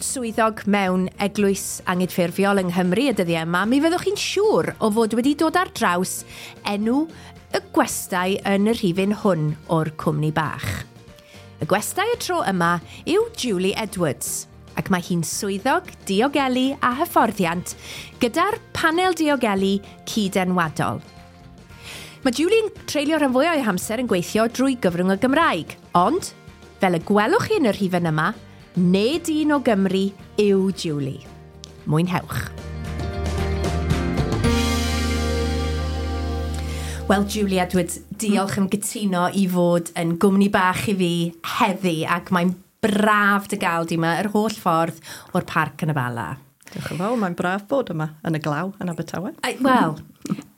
swyddog mewn eglwys angydffurfiol yng Nghymru y dyddiau yma, mi fyddwch chi'n siŵr o fod wedi dod ar draws enw y gwestai yn y rhifyn hwn o'r cwmni bach. Y gwestai y tro yma yw Julie Edwards, ac mae hi'n swyddog diogelu a hyfforddiant gyda'r panel diogelu cydenwadol. Mae Julie'n treulio rhan fwyaf o'i hamser yn gweithio drwy gyfrwng y Gymraeg, ond, fel y gwelwch chi yn y rhifyn yma, nid un o Gymru yw Julie. Mwynhewch. Wel, Julie Edwards, diolch am gytuno i fod yn gwmni bach i fi heddi, ac mae'n braf dy gael di yma yr holl ffordd o'r parc yn y Bala. Diolch yn fawr, mae'n braf bod yma yn y glaw yn Abertawe. Wel,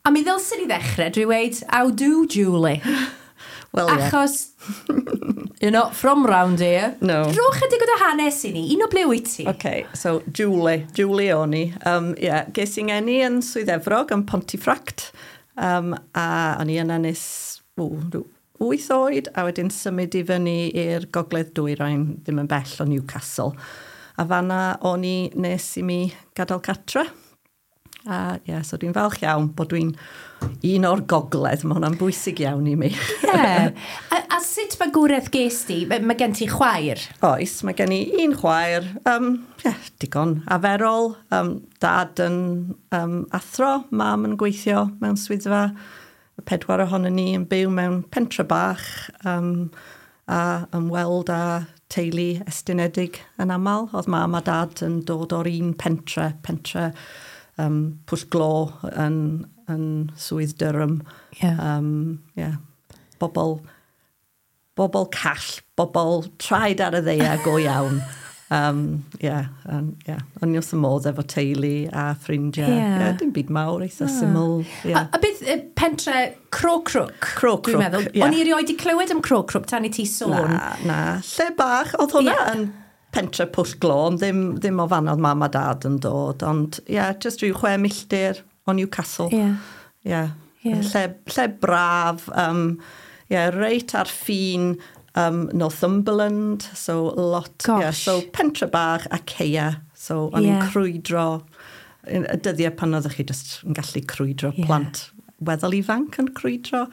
a mi ddylswn i ddechrau drwy weud, how do, Julie? Wel, ie. Achos, you're not from round here. No. Rho chydig o dy hanes i ni, un o ble wyt ti? OK, so Julie o'n i. Yeah, ges i'n ngeni yn Swydd Efrog, yn Pontefract, a o'n i yna nes 8 oed, a wedyn symud i fyny i'r Gogledd Dwyrain, ddim yn bell o Newcastle. A fanna o'n i nes i mi gadael catre. A ie, yeah, so dwi'n falch iawn bod dwi'n un o'r gogledd. Mae hwnna'n bwysig iawn i mi. Yeah. A sut magwraeth ges di? Mae gen ti chwaer? Oes, mae gen i un chwaer. Yeah, digon aferol. Dad yn athro, mam yn gweithio mewn swyddfa. Y 4 ohonon ni yn byw mewn pentre bach a ymweld â teulu estynedig yn aml. Oedd mam a dad yn dod o'r un pentre Pwll Glo yn Swydd Durham. Yeah. Yeah. Bobl call, bobl traed ar y ddaear go iawn. Yeah. O'n i wrth y modd efo teulu a ffrindiau. Yeah. Yeah, dim byd mawr, eitha syml. Yeah. A beth pentre Crowcrook? Crowcrook, dwi'n meddwl. Yeah. O'n i erioed 'di clywed am Crowcrook tan i ti sôn. Na. Lle bach, oedd hwnna yn pentre Pwll Glo, ond ddim o fan oedd mam a dad yn dod, ond yeah, just rhyw 6 milltir o Newcastle. Yeah. Yeah. Yeah. Lle braf, yeah, reit ar ffin Northumberland, so lot. Gosh. Yeah, so pentre bach a ceia, so o'n i'n crwydro, y dyddiau pan oeddech chi just yn gallu crwydro, plant weddol ifanc yn crwydro,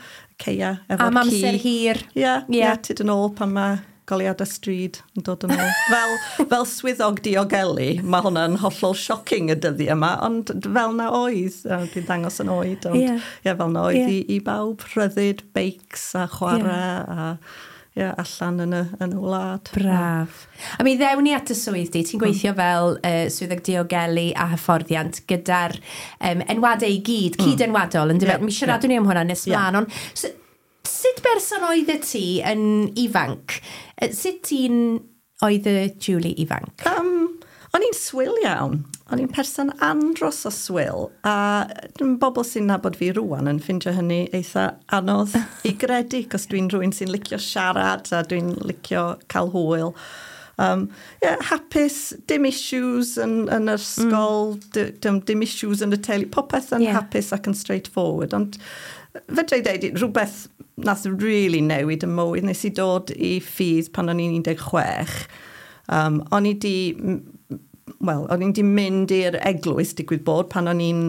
ceia efo'r ci. Am amser hir. Yeah, yeah, tyd yn ôl pan mae goleuadau stryd yn dod yn ôl. Fel swyddog diogelu, mae hwnna'n hollol shocking y dyddiau yma, ond fel na oedd, dwi'n dangos yn oed, ond yeah, fel na oedd i bawb, rhyddid, beics a chwarae a allan yn y wlad. Braf. A mi ddewn ni at y swydd di, ti'n gweithio fel swyddog diogelu a hyfforddiant gyda'r enwadau i gyd, cyd-enwadol, yn dyfe? Mi siaradwn ni am hwnna nes mlaen, ond sut berson oedd y ti yn ifanc? Sut ti'n oedd y Julie ifanc? O'n i'n swil iawn. O'n i'n person andros o swil. A bobl sy'n nabod fi rŵan yn ffindio hynny eitha anodd i gredu, cos dwi'n rhywun sy'n licio siarad a dwi'n licio cael hwyl. Yeah, hapus, dim issues yn yr ysgol, dim issues yn y teulu, popeth yn hapus ac yn straightforward. Ond fedra i ddeud, rhywbeth nath really newid y mywyd, nes i dod i ffydd pan o'n i'n 16. O'n i di mynd i'r eglwys, digwydd bod, pan o'n i'n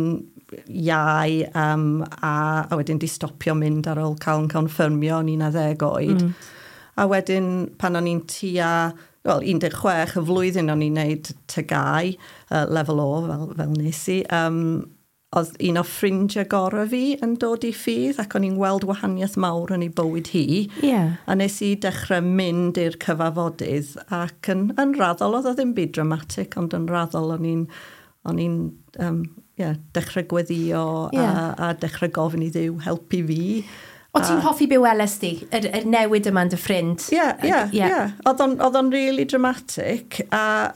iau, a wedyn di stopio mynd ar ôl cael yn confirmio, o'n i'n 11 oed. A wedyn pan o'n i'n tua, 16, y flwyddyn o'n i'n neud TGAU, lefel O, fel nes i, oedd un o ffrindiau gorau fi yn dod i ffydd ac o'n i'n weld wahaniaeth mawr yn ei bywyd hi. Yeah. A nes i dechrau mynd i'r cyfarfodydd ac yn raddol, oedd o ddim byd dramatic, ond yn raddol o'n i'n dechrau gweddio a dechrau gofyn i Dduw helpu fi. O ti'n hoffi be weles di, yr newid yma yn dy ffrind? Ie. Oedd o'n really dramatic a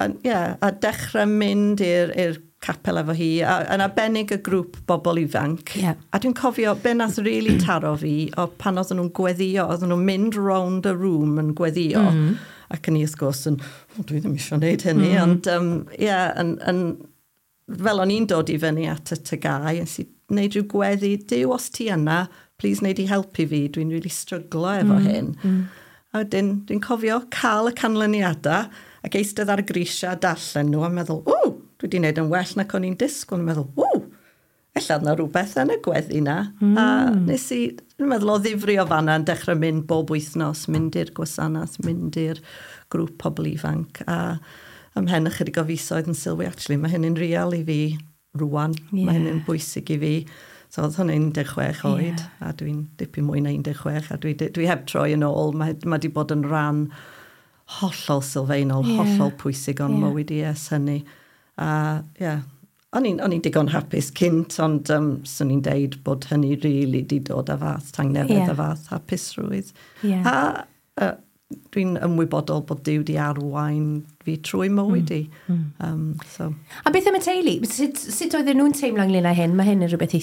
dechrau mynd i'r capel efo hi, yn arbennig y grŵp bobl ifanc. Yeah. A dwi'n cofio, be nath really taro fi, o pan oedden nhw'n gweddio, oedden nhw'n mynd round y room yn gweddio, ac yn i wrth gwrs yn, dwi ddim eisiau gwneud hynny, ond fel o'n i'n dod i fyny at y TGAU, nes i wneud rhyw gweddi, Duw, os ti yna, please wneud i helpu fi, dwi'n really stryglo efo hyn. A wedyn, dwi'n cofio cael y canlyniadau, Ac eistedd ar y grisiau darllen nhw a meddwl, ww, dwi wedi gwneud yn well nac o'n i'n disgwyl. A meddwl, ww, ella yna rhywbeth yn y gweddi na. A nes i, dwi'n meddwl o ddifri o fanna yn dechrau mynd bob wythnos, mynd i'r gwasanaeth, mynd i'r grŵp pobl ifanc. A ymhen ychydig o fisoedd yn sylwi, actually, mae hynny'n real i fi rwan. Mae hynny'n bwysig i fi. So oedd hwnna'n 16 oed, a dwi'n dipyn mwy na 16, a dwi heb troi yn ôl. Mae di bod yn rhan hollol sylfaenol, hollol pwysig o'n mywyd i ers hynny. A ie, yeah, o'n i'n digon hapus cynt, ond swn i'n deud bod hynny really di dod â fath tangnefedd a fath hapusrwydd. A dwi'n ymwybodol bod Duw di arwain fi trwy mywyd i. So. A beth am y teulu? Sut oedden nhw'n teimlo ynglyn â hyn? Mae hyn yn rhywbeth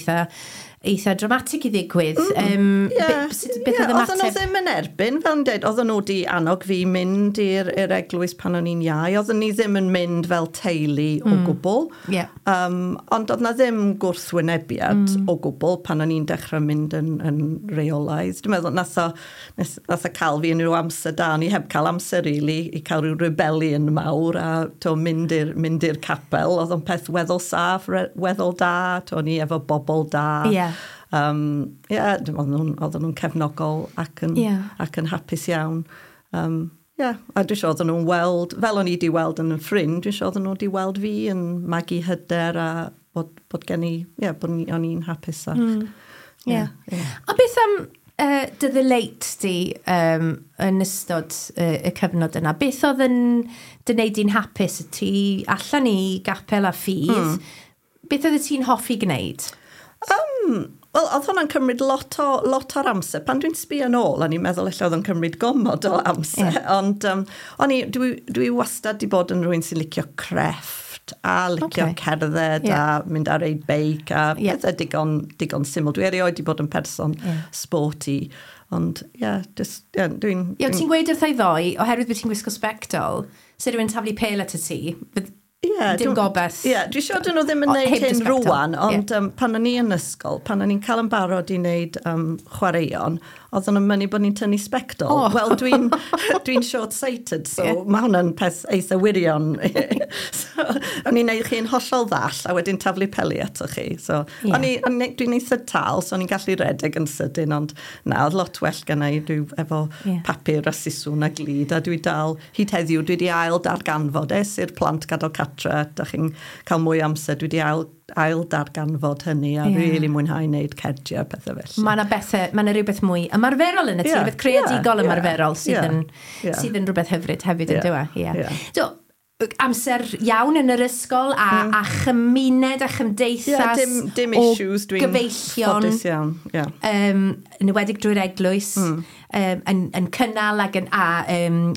eitha dramatig i ddigwydd. Beth oedd Oedden nhw ddim yn erbyn, fel yn dweud, oedden nhw di annog fi mynd i'r eglwys pan o'n i'n iau. Oedden ni ddim yn mynd fel teulu o gwbl. Ond oedd na ddim gwrthwynebiad o gwbl pan o'n i'n dechrau mynd yn reolaidd. Dwi'n meddwl, nath o cael fi yn rhyw amser da, o'n i heb cael amser really i cael rhyw rebellion mawr a to, mynd i'r capel. Oedd o'n peth weddol saff, weddol da, to, o'n i efo bobl da. Oedden nhw'n cefnogol ac yn hapus iawn. A dwi'n siŵr oedden nhw'n weld, fel o'n i di weld yn ffrind, dwi'n siŵr oedden nhw di weld fi yn magu hyder a bod gen i, bod o'n i'n hapus. A beth am dy ddelight di yn ystod y cyfnod yna? Beth oedd yn dy wneud di'n hapus? Ti allan i gapel a ffydd. Beth oedd ti'n hoffi gwneud? Wel, oedd hwnna'n cymryd lot o'r amser. Pan dwi'n sbio yn ôl, o'n i'n meddwl ella oedd o'n cymryd gomod o amser. Ond dwi wastad di bod yn rhywun sy'n licio crefft a licio cerdded a mynd ar ei beic a pethau digon syml. Dwi erioed di bod yn person sporty. Ond, dwi'n... Ie, ti'n gweud wrtha i ddoe, oherwydd bod ti'n gwisgo sbectol, se rhywun taflu pêl at y ti, dim gobaith. Ie, dwi'n siŵr dyn nhw ddim yn neud hyn rwan, ond pan o'n i yn ysgol, pan o'n i'n cael yn barod i wneud chwaraeon, oedden nhw'n mynnu bod ni'n tynnu sbectol. Oh. Wel, dwi'n short-sighted, so mae hwnna'n peth eitha wirion. So, o'n i'n neud chi'n hollol ddall, a wedyn taflu peli ato chi. So, dwi'n eitha tal, so o'n i'n gallu redeg yn sydyn, ond na, oedd lot well gynna i dwi efo papur a siswrn a glud, a dwi dal, hyd heddiw, dwi wedi ail darganfod, ers i'r plant gadael catre, da chi'n cael mwy amser, dwi wedi ail darganfod hynny a really mwynhau wneud cerdiau a pethau felly. Mae yna bethau, mae yna rhywbeth mwy ymarferol yn y ti, rhywbeth creadigol ymarferol sydd yn rhywbeth hyfryd hefyd yn dyw e. So, amser iawn yn yr ysgol a chymuned a chymdeithas dim issues, dwi'n ffodus iawn. Yn enwedig drwy'r eglwys, yn cynnal ac yn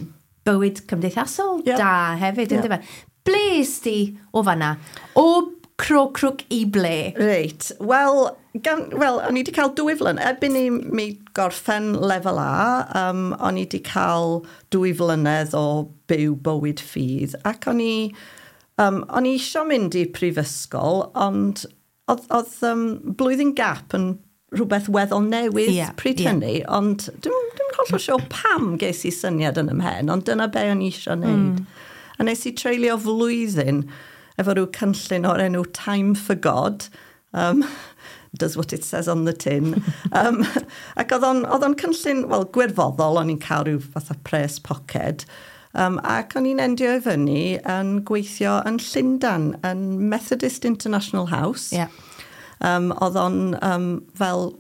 bywyd cymdeithasol da hefyd, yn dyfe. Ble is di o fanna? O Crocrook i ble? Reit, wel, o'n i wedi cael 2 flynedd. Erbyn i mi gorffen lefel A, o'n i wedi cael 2 flynedd o byw bywyd ffydd. Ac o'n i eisiau mynd i prifysgol, ond oedd blwyddyn gap yn rhywbeth weddol newydd pryd hynny, ond dwi'n hollol siŵr pam ges i syniad yn 'y mhen, ond dyna be o'n i eisiau wneud. A nes i treulio flwyddyn efo rhyw cynllun o'r enw Time for God, does what it says on the tin. Ac oedd o'n cynllun, wel, gwirfoddol, o'n i'n cael rhyw fatha pres poced, ac o'n i'n endio i fyny yn gweithio yn Llundain, yn Methodist International House. Yeah. Oedd o'n fel,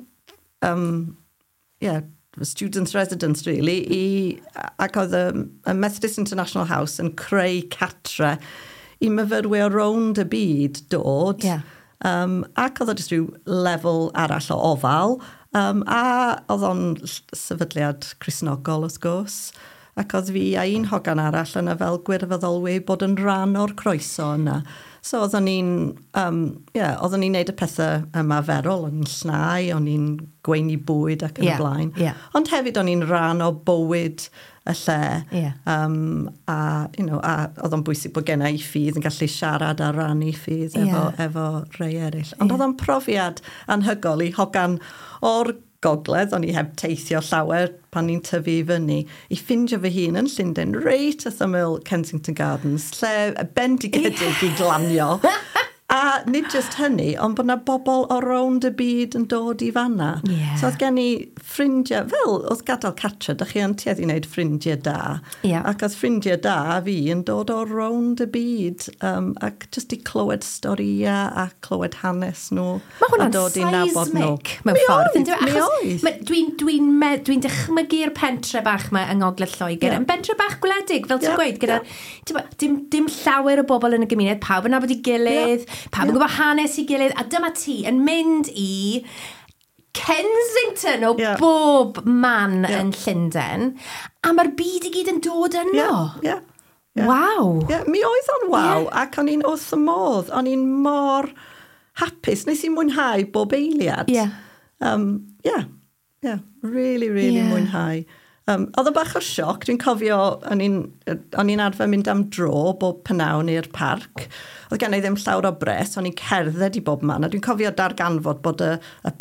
students' residence, really, ac oedd y Methodist International House yn creu catre i myfyrwyr rownd y byd dod. Ac oedd o jyst rhyw lefel arall o ofal. A oedd o'n sefydliad Cristnogol, wrth gwrs. Ac oedd fi a un hogan arall yna fel gwirfoddolwyr bod yn rhan o'r croeso yna. So oedden ni'n oedden ni'n neud y pethau ymarferol, o'n i'n llnau, o'n i'n gweini bwyd ac yn y blaen. Ond hefyd o'n i'n rhan o bywyd y lle. A, you know, a oedd o'n bwysig bod genna i ffydd yn gallu siarad a rannu ffydd efo rhai eraill. Ond oedd o'n profiad anhygoel i hogan o'r gogledd, o'n i heb teithio llawer pan ni'n tyfu i fyny, i ffindio fy hun yn Llundain, reit wrth ymyl Kensington Gardens, lle bendigedig i glanio. A nid just hynny, ond bod yna bobl o rownd y byd yn dod i fanna. So oedd gen i ffrindiau, fel oedd gadael catra, da chi yn tueddu i wneud ffrindiau da. Ac oedd ffrindiau da fi yn dod o rownd y byd, ac just i clywed storïau a clywed hanes nhw. Mae hwnna'n seismic mewn ffordd. Mi oedd. Dwi'n dychmygu'r pentre bach yma yng Ngogledd Lloegr. Yn bentre bach gwledig, fel ti'n gweud, gyda dim llawer o bobl yn y gymuned, pawb yn nabod ei gilydd, pawb yn gwybod hanes i gilydd, a dyma ti yn mynd i Kensington o bob man yn Llundain, a mae'r byd i gyd yn dod yno. Waw. Yeah, mi oedd o'n waw, ac o'n i'n wrth y modd, o'n i'n mor hapus, nes i mwynhau bob eiliad. Really, really mwynhau. Oedd o'n bach o sioc, dwi'n cofio, o'n i'n arfer mynd am dro bob pnawn i'r parc. Oedd gen i ddim llawer o bres, o'n i'n cerdded i bob man, a dwi'n cofio darganfod bod y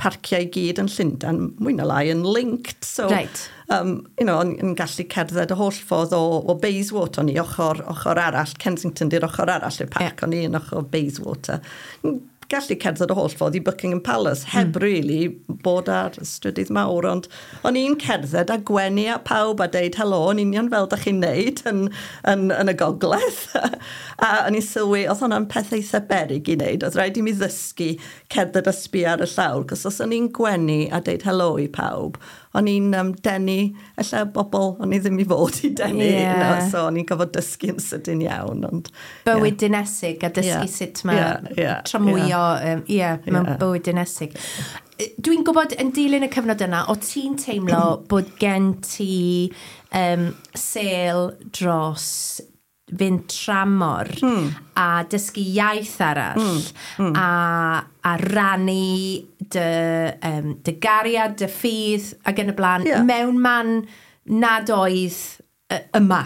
parciau i gyd yn Llundain, mwy na lai, yn linked. So, you know, o'n i'n gallu cerdded y holl ffordd o Bayswater, o'n i ochr arall, Kensington di'r ochr arall i'r parc, o'n i yn ochr Bayswater. Gallu cerdded y holl ffordd i Buckingham Palace, heb really bod ar strydydd mawr, ond o'n i'n cerdded a gwenu a pawb a deud helo, yn union fel da chi'n neud yn y gogledd. A o'n i'n sylwi, oedd hwnna'n peth eitha beryg i wneud, oedd rhaid i mi ddysgu cerdded a sbio ar y llawr, cos os o'n i'n gwenu a deud helo i pawb, o'n i'n denu, ella bobl, o'n i ddim i fod i denu, you know, so o'n i'n gofod dysgu yn sydyn iawn. Ond, bywyd dinesig a dysgu sut mae tramwyo, mewn bywyd dinesig. Dwi'n gwybod yn dilyn y cyfnod yna, o ti'n teimlo bod gen ti sêl dros fynd tramor a dysgu iaith arall a rannu dy gariad, dy ffydd ac yn y blaen mewn man nad oedd yma.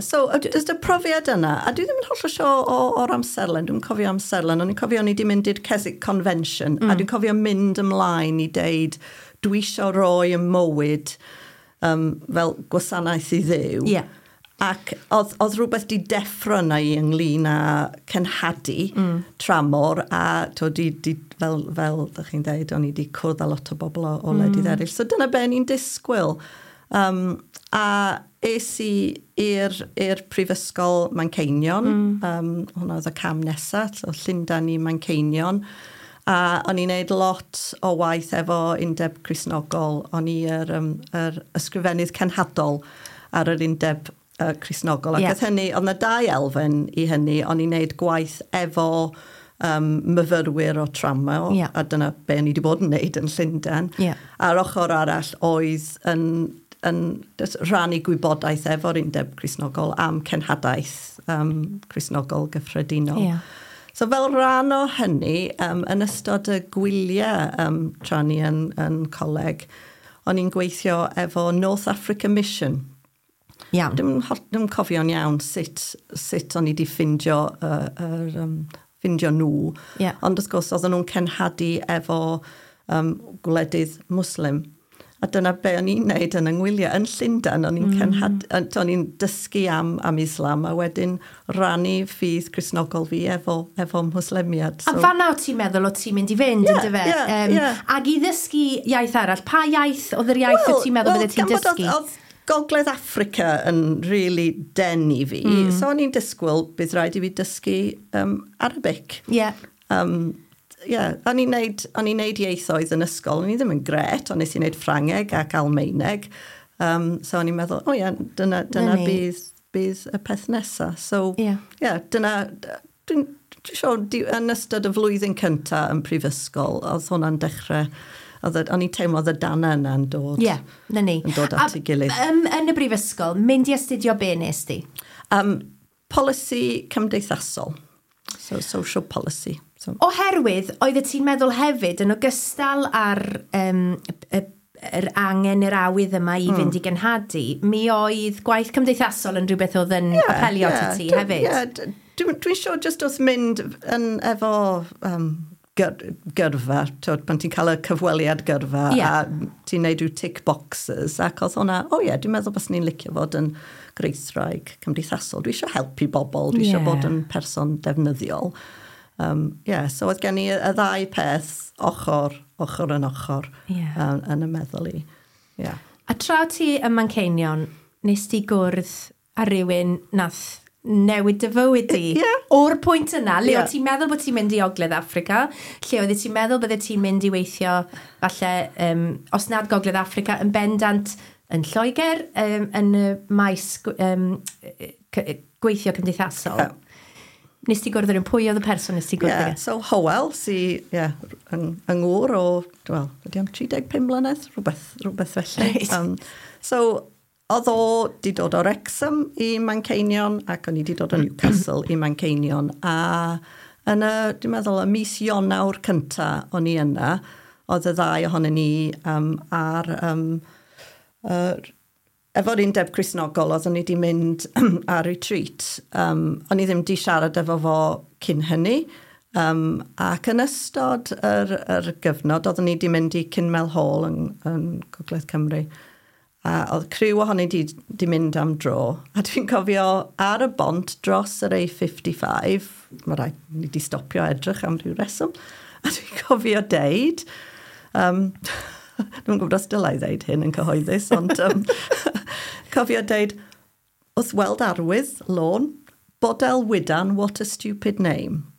So, just y profiad yna, a dwi ddim yn hollol siŵr o'r amserlen, dwi'n cofio amserlen, ond dwi'n cofio o'n i wedi mynd i'r Keswick Convention, a dwi'n cofio mynd ymlaen i deud, dwi isio roi y mywyd fel gwasanaeth i Dduw. Ac oedd rhywbeth di deffro yna i ynglyn â cenhadu tramor, a to, fel ddech chi'n dweud, o'n i di cwrdd â lot o bobl o wledydd eraill. So dyna be ni'n disgwyl. A es i i'r Prifysgol Manceinion, hwnna oedd y cam nesaf, so Llundain i Manceinion. A o'n i'n neud lot o waith efo Undeb Cristnogol. O'n i yr ysgrifennydd cenhadol ar yr Undeb Cristnogol. Ac oedd hynny, oedd yna dau elfen i hynny, o'n i'n neud gwaith efo myfyrwyr o tramor, a dyna be o'n i wedi bod yn neud yn Llundain. A'r ochr arall oedd yn rhannu gwybodaeth efo'r Undeb Cristnogol am cenhadaeth Cristnogol gyffredinol. So fel rhan o hynny, yn ystod y gwyliau tra ni yn coleg, o'n i'n gweithio efo North Africa Mission. Iawn. Dwi'n cofio'n iawn sut o'n i wedi ffindio nhw. Ond wrth gwrs, oedden nhw'n cenhadu efo gwledydd Muslim. A dyna be o'n i'n neud yn yng ngwyliau. Yn Llundain, o'n i'n o'n i'n dysgu am Islam a wedyn rannu ffydd Cristnogol fi efo Muslimiad. So. A fan'na o ti'n meddwl o ti'n mynd i fynd, yndyfe? Ac i ddysgu iaith arall, pa iaith oedd yr iaith o ti'n meddwl bydde ti'n dysgu? Oedd Gogledd Affrica yn really denu fi. So o'n i'n disgwyl bydd rhaid i fi dysgu Arabic. O'n i'n neud ieithoedd yn ysgol, o'n i ddim yn gret, ond nes i wneud Ffrangeg ac Almaeneg. So o'n i'n meddwl, dyna bydd y peth nesaf. So, dyna, dwi'n siŵr, yn ystod y flwyddyn cyntaf yn prifysgol, oedd hwnna'n dechrau, o'n i'n teimlo oedd y dana yna'n dod. Na ni. Yn dod at ei gilydd. Yn y brifysgol, mynd i astudio be nes di? Polisi cymdeithasol. So, social policy. So. Oherwydd, oeddet ti'n meddwl hefyd, yn ogystal â'r yr angen, yr awydd yma i fynd i genhadu, mi oedd gwaith cymdeithasol yn rhywbeth oedd yn apelio at ti hefyd. Dwi'n siŵr just wrth mynd yn efo gyrfa, twyd, pan ti'n cael y cyfweliad gyrfa a ti'n neud rhyw tick boxes, ac oedd hwnna, o oh ie, yeah, dwi'n meddwl bys ni'n licio fod yn greithraig cymdeithasol. Dwi eisiau helpu bobl, dwi eisiau bod yn person defnyddiol. Yeah, so oedd gen i y ddau peth ochr, ochr yn ochr yn y meddwl i. Yeah. A tra ti ym Manceinion, nes ti gwrdd â rhywun nath newid dy fywyd di. O'r pwynt yna, le yeah. o ti'n meddwl bod ti'n mynd i Ogledd Affrica, lle oeddet ti'n meddwl bydde ti'n mynd i weithio, falle, os nad Gogledd Affrica, yn bendant yn Lloegr, yn y maes gweithio cymdeithasol. Yeah. Nes ti gwrdd â rhywun? Pwy oedd y person nes ti gwrdd â? Yeah, so Howell, sy yeah, yng ngŵr o, wel, ydy am 35 mlynedd, rhywbeth, rhywbeth felly. Right. So, oedd o di dod o Wrexham i Manceinion ac o'n i di dod o Newcastle i Manceinion. A yn y, dwi'n meddwl, y mis Ionawr cynta o'n i yna, oedd y ddau ohonyn ni ar... efo'r undeb Cristnogol, oeddwn ni wedi mynd ar retreat. O'n i ddim di siarad efo fo cyn hynny. Ac yn ystod yr gyfnod, oeddwn ni wedi mynd i Kinmel Hall yn Gogledd Cymru. A oedd criw ohoni di mynd am dro. A dwi'n cofio ar y bont dros yr A55, mae rhaid ni di stopio edrych am rhyw reswm, a dwi'n cofio deud, dwi'n gwybod os dylai ddeud hyn yn cyhoeddus, ond cofio deud, wrth weld arwydd, lôn, Bodelwyddan, what a stupid name.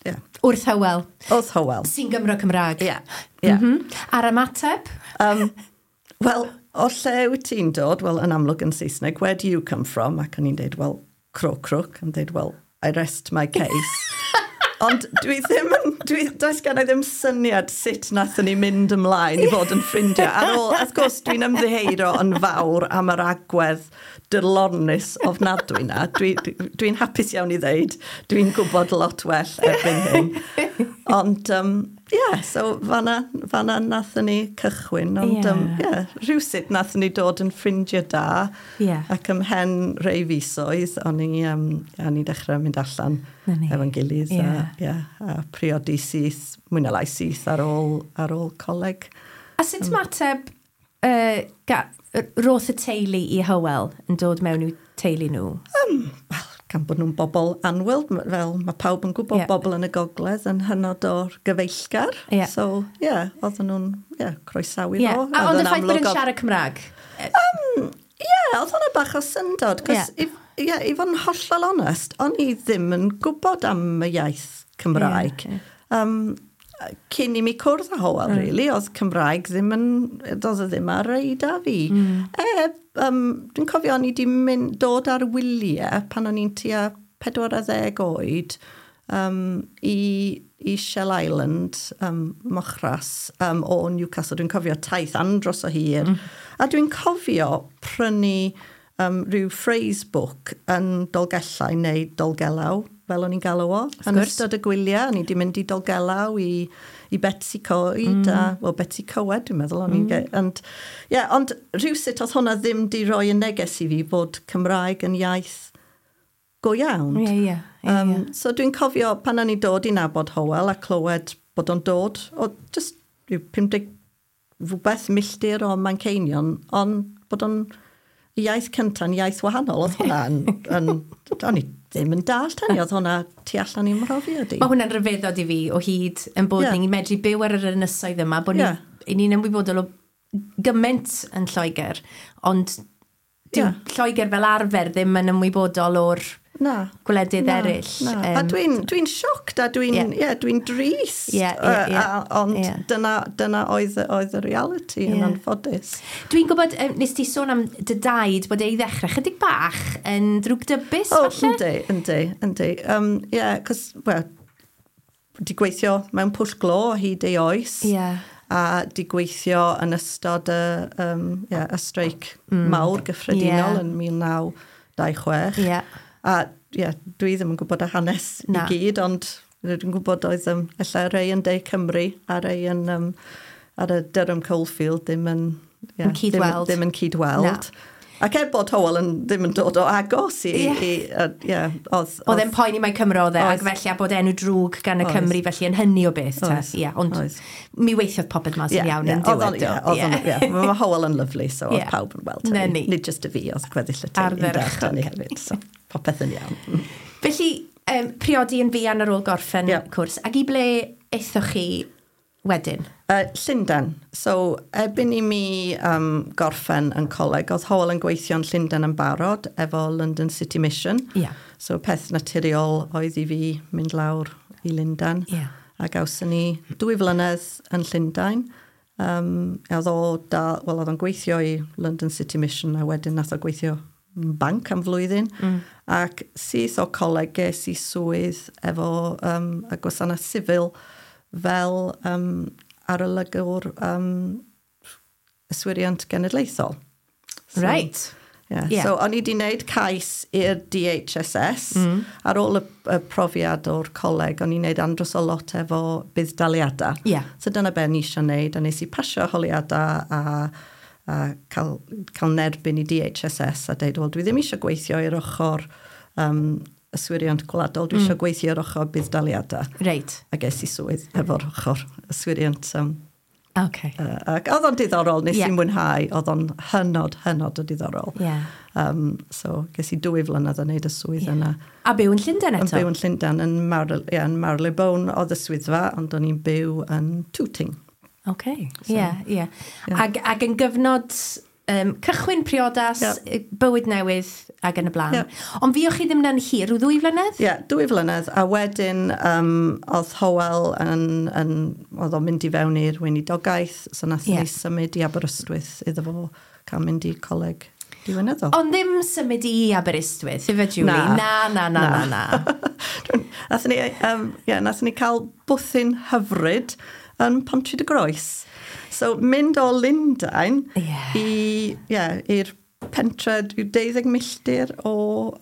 Yeah. Wrth Hywel. Wrth Hywel. Sy'n Gymro Cymraeg. Yeah. Yeah. Mm -hmm. A'r ymateb? Wel, o lle wyt ti'n dod? Wel, yn amlwg yn Saesneg, where do you come from? Ac o'n i'n deud, well, crook. Yn deud, well, I rest my case. Ond dwi ddim yn, does gen i ddim syniad sut nathon ni mynd ymlaen i fod yn ffrindiau. Ar ôl, wrth gwrs, dwi'n ymddiheuro yn fawr am yr agwedd dyrlornus ofnadwy na. Dwi'n hapus iawn i ddeud, dwi'n gwybod lot well erbyn hyn. Ond, yeah, so fanna nathon ni cychwyn. Ond, yeah, rhywsut nathon ni dod yn ffrindiau da. Yeah. Ac ymhen rhai fisoedd, o'n i dechrau mynd allan efo'n gilydd. Yeah. A priodi syth, mwy na lai syth ar ôl coleg. A sut ymateb roth y teulu i Hywel yn dod mewn i'w teulu nhw? Wel, gan bod nhw'n bobl annwyl, fel mae pawb yn gwybod bobl yn y gogledd yn hynod o'r gyfeillgar. Yeah. So, ie, yeah, oedden nhw'n croesawu fo. A ond y ffaith bod yn siarad Cymraeg? Ie, oedd hwnna bach o syndod. Cos, i fod yn hollol onest, o'n i ddim yn gwybod am y iaith Cymraeg. Yeah, yeah. Cyn i mi cwrdd â Hywel, really, oedd Cymraeg ddim yn, doedd o ddim ar radar fi. Dwi'n cofio o'n i wedi dod ar wyliau pan o'n i'n tua 40 oed i Shell Island, Mochras, o Newcastle. Dwi'n cofio taith andros o hir. A dwi'n cofio prynu rhyw phrase book yn Dolgellau neu Dolgellau, fel o'n i'n galw o. Yn ystod y gwyliau, o'n i wedi mynd i Dolgellau, i Betsi Coed, a, well, Betsi Coed, dwi'n meddwl. O'n i'n ond rhywsut oedd hwnna ddim di roi y neges i fi bod Cymraeg yn iaith go iawn. Yeah. So dwi'n cofio pan o'n i dod i nabod Hywel a clywed bod o'n dod o just 50 rhywbeth milltir o Manceinion, ond bod o'n iaith cynta'n iaith wahanol. Oedd hwnna'n... O'n i ddim yn dallt hynny, oedd hwnna tu allan i'n mhrofiad i. Mae hwnna'n rhyfeddod i fi o hyd yn bod ni'n medru byw ar yr ynysoedd yma, bod ni'n ymwybodol o gymaint yn Lloegr, ond dyw Lloegr fel arfer ddim yn ymwybodol o'r gwledydd eraill. A dwi'n shocked a dwi'n drist. Ond dyna oedd y reality yn anffodus. Dwi'n gwybod, nes ti sôn am dy daid bod ei ddechrau chydig bach yn ddrwgdybus, falle? Yndi. Ie, cos, well, di gweithio mewn pwll glo o hyd ei oes. Yeah. A di gweithio yn ystod y streic mawr gyffredinol yn 1926. Yeah. A dwi ddim yn gwybod y hanes i gyd, ond dwi'n gwybod oedd ella rei yn De Cymru a rei yn ar y Durham Coalfield ddim yn, cydweld. Ddim yn cydweld. Ac er bod Hywel yn, ddim yn dod o agos i... I, oedd e'n poeni mai Cymro oedd e, ac felly a bod enw drwg gan y Cymru felly yn hynny o beth. Oes, yeah, ond oes. Mi weithiodd popeth mas yn iawn yn diwedd. Ie, mae Hywel yn lyfli, so oedd pawb yn weld hynny. Nid just y fi, oedd gweddill y teulu yn dallt ni hefyd, so popeth yn iawn. Felly, priodi yn fuan ar ôl gorffen cwrs, ac i ble aethoch chi wedyn? Llundain. So, erbyn i mi gorffen yn coleg, oedd Hywel yn gweithio yn Llundain yn barod efo London City Mission. So, peth naturiol oedd i fi mynd lawr i Lundain. A gawson ni 2 flynedd yn Llundain. Oedd o da, well, oedd o'n gweithio i London City Mission a wedyn nath o gweithio banc am flwyddyn. Ac syth o coleg ges i swydd efo y gwasanaeth sifil fel arolygwr yswiriant genedlaethol. So, right. Yeah. So, o'n i wedi gwneud cais i'r DHSS. Ar ôl y profiad o'r coleg, o'n i'n gwneud andros o lot efo budd-daliadau. So dyna be ni eisiau gwneud, a nes i pasio holiadau a cael nerbyn i DHSS a deud, "Wel, dwi ddim eisiau gweithio i'r ochr yswiriant gwladol, dwi eisiau gweithio i'r ochr budd-daliadau." A ges i swydd efo'r ochr yswiriant. Ac oedd o'n diddorol, nes i mwynhau, oedd o'n hynod, hynod o diddorol. So, ges i 2 flynedd yn neud y swydd yna. A byw yn Llundain eto? Yn byw yn Llundain, yn Marylebone oedd y swyddfa, ond o'n i'n byw yn Tooting. Oce, ie. Ac yn gyfnod cychwyn priodas, bywyd newydd ac yn y blaen. Ond fuoch chi ddim yn hir, rhyw 2 flynedd? Ie, yeah, 2 flynedd. A wedyn oedd Hywel oedd o'n mynd i fewn i'r weinidogaeth, so nath ni symud i Aberystwyth iddo fo cael mynd i coleg diwinyddol. Ond ddim symud i Aberystwyth, ife, Julie? Na, na, na, na, na. Nathon ni, yeah, nathon ni cael bwthyn hyfryd yn Pontrhyd-y-Groes. So, mynd o Lundain i'r pentre 12 milltir o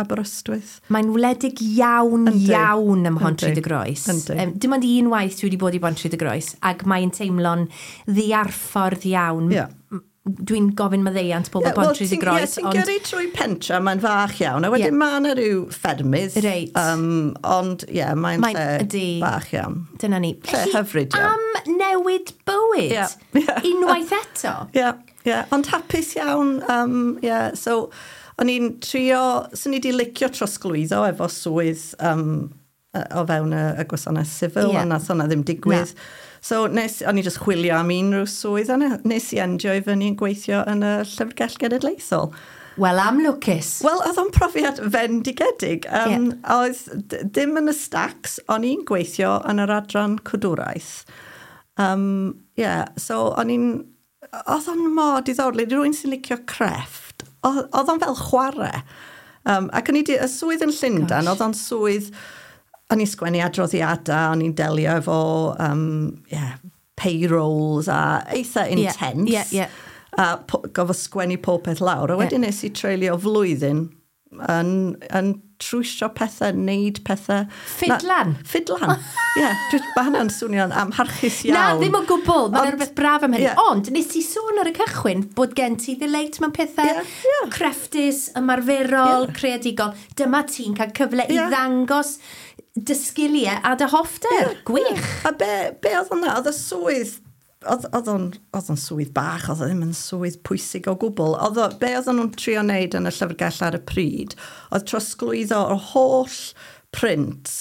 Aberystwyth. Mae'n wledig iawn, iawn ym Mhontrhyd-y-Groes. Dim ond un waith dwi wedi bod i Pontrhyd-y-Groes, ac mae'n teimlo'n ddiarffordd iawn. Dwi'n gofyn maddeuant pobl Pontrhyd-y-Groes. Ie, ti'n gyrru trwy pentra, mae'n fach iawn, a wedyn mae yna rhyw ffermydd. Ond ie, yeah, mae'n lle bach iawn. Dyna ni. Lle hyfryd iawn. Am newid bywyd. Unwaith eto. Ie, yeah, ond hapus iawn. Yeah, so, o'n i'n trio, swn i wedi licio trosglwyddo efo swydd o fewn y gwasanaeth sifil, ond nath hwnna ddim digwydd. Na. So nes, o'n i just chwilio am unrhyw swydd, a nes i endio i fyny yn gweithio yn y Llyfrgell Genedlaethol. Wel, am lwcus. Wel, oedd o'n profiad fendigedig. Oedd dim yn y stacks, o'n i'n gweithio yn yr adran cadwraeth. Yeah, so o'n i'n... Oedd o'n mor diddorol. Rwy'n sy'n licio crefft. Oedd o'n fel chwarae. Ac o'n i di, y swydd yn Llundain, oedd o'n swydd, o'n i'n sgwennu adroddiadau, o'n i'n delio efo yeah, payrolls a eitha intense. A gofod sgwennu pob peth lawr. A wedyn nes i treulio flwyddyn yn trwsio pethau, neud pethau. Ffidlan? Ffidlan, ie. Yeah, mae hynna'n swnio'n amharchus iawn. Na, ddim o gwbl. Mae'n rhywbeth braf am hynny. Ond nes i sôn ar y cychwyn bod gen ti ddileit mewn pethau crefftus, ymarferol, creadigol. Dyma ti'n cael cyfle i ddangos dy sgiliau a dy hoffter. Gwych. Yeah. A be oedd hwnna? Oedd y swydd oedd o'n swydd bach, oedd o ddim yn swydd pwysig o gwbl. Oedd o, be oedd nhw'n trio wneud yn y llyfrgell ar y pryd, oedd trosglwyddo o'r holl prints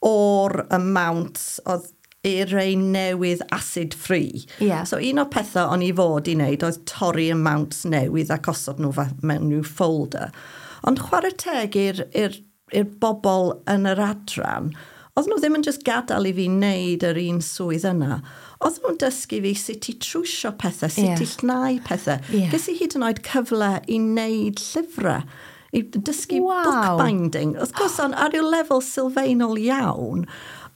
o'r amount oedd i'r rei newydd acid free. So un o'r pethau o'n i fod i wneud oedd torri y mounts newydd ac osod nhw mewn nhw folder. Ond chwarae teg i'r bobl yn yr adran, oedd nhw ddim yn just gadael i fi wneud yr un swydd yna. Oedd nhw'n dysgu fi sut i trwsio pethau, sut i llnau pethau. Ges i hyd yn oed cyfle i wneud llyfrau, i dysgu bookbinding. Wrth gwrs, on, ar ryw lefel sylfaenol iawn,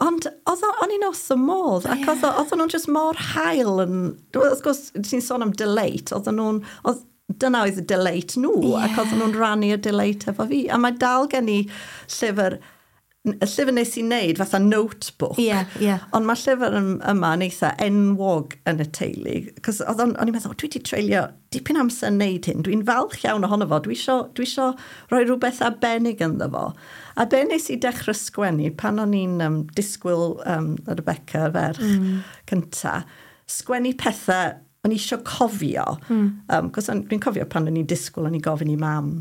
ond o'n i'n wrth y modd, ac oedd nhw'n just mor hael. Yn, wrth gwrs, ti'n sôn am delight, oedd nhw'n, oedd, dyna oedd y delight nhw, ac oedd nhw'n rhannu y delight efo fi. A mae dal gen i llyfr Y llyfr nes i wneud fatha notebook. Ie. Ond mae llyfr yma yn eitha enwog yn y teulu. Cos o'n i'n meddwl, "Dwi wedi treulio dipyn amser yn neud hyn. Dwi'n falch iawn ohono fo. Dwi isio rhoi rhywbeth arbennig ynddo fo." A be nes i dechrau sgwennu pan o'n i'n disgwyl Rebecca, y ferch cynta, sgwennu pethau o'n i eisiau cofio. Cos dwi'n cofio pan o'n i'n disgwyl, o'n i'n gofyn i Mam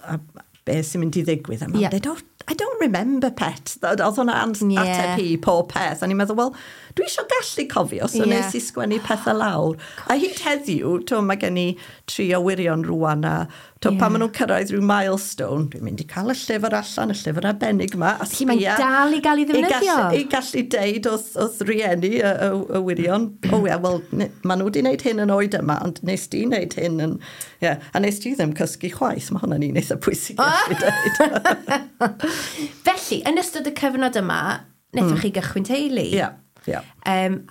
a, be sy'n mynd i ddigwydd. A Mam dweud, "Oh, I don't remember, pet." Oedd hwnna ateb hi pob peth. A ni'n meddwl, wel, dwi eisiau gallu cofio, so nes i sgwennu pethau lawr. A hyd heddiw, to, mae gen i tri o wyrion rwan, a to, pan maen nhw'n cyrraedd rhyw milestone, dwi'n mynd i cael y llyfr allan, y llyfr arbennig yma. A Felly mae'n dal i gael ei ddefnyddio. I gallu deud wrth rieni y wyrion, "O ie, wel, maen nhw wedi wneud hyn yn oed yma, ond nes di wneud hyn yn... Yeah, a nes di ddim cysgu chwaith," mae hwnna'n un eitha pwysig i gallu deud. Felly, yn ystod y cyfnod yma, wnaethoch chi gychwyn teulu. Ie.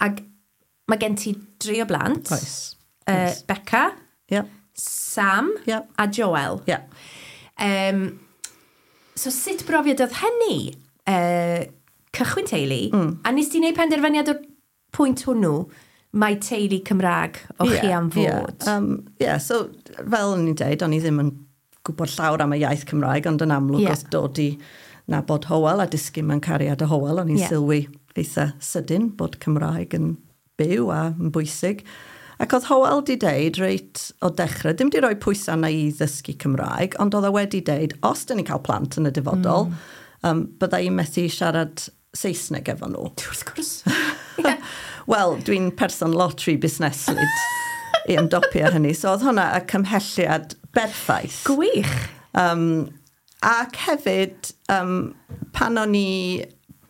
Ac mae gen ti dri o blant. Oes. Becca, Sam a Joel. So sut brofiad oedd hynny? Cychwyn teulu, a nes ti wneud penderfyniad o'r pwynt hwnnw, mae teulu Cymraeg o chi am fod? Ie, yeah, so fel o'n i'n deud, o'n i ddim yn gwybod llawer am y iaith Cymraeg, ond yn amlwg wrth dod i nabod Howell a disgyn mewn cariad â Howell, o'n i'n sylwi eitha sydyn bod Cymraeg yn byw a yn bwysig. Ac oedd Howell di deud reit o dechrau, dim di roi pwysau na i ddysgu Cymraeg, ond oedd o wedi deud, os dyn ni'n cael plant yn y dyfodol, bydda i'n methu siarad Saesneg efo nhw. Wrth gwrs. Wel, dwi'n person lot rhy busneslyd i ymdopi â hynny. So oedd hwnna y cymhelliad berffaith. Gwych. Ac hefyd, pan o'n i...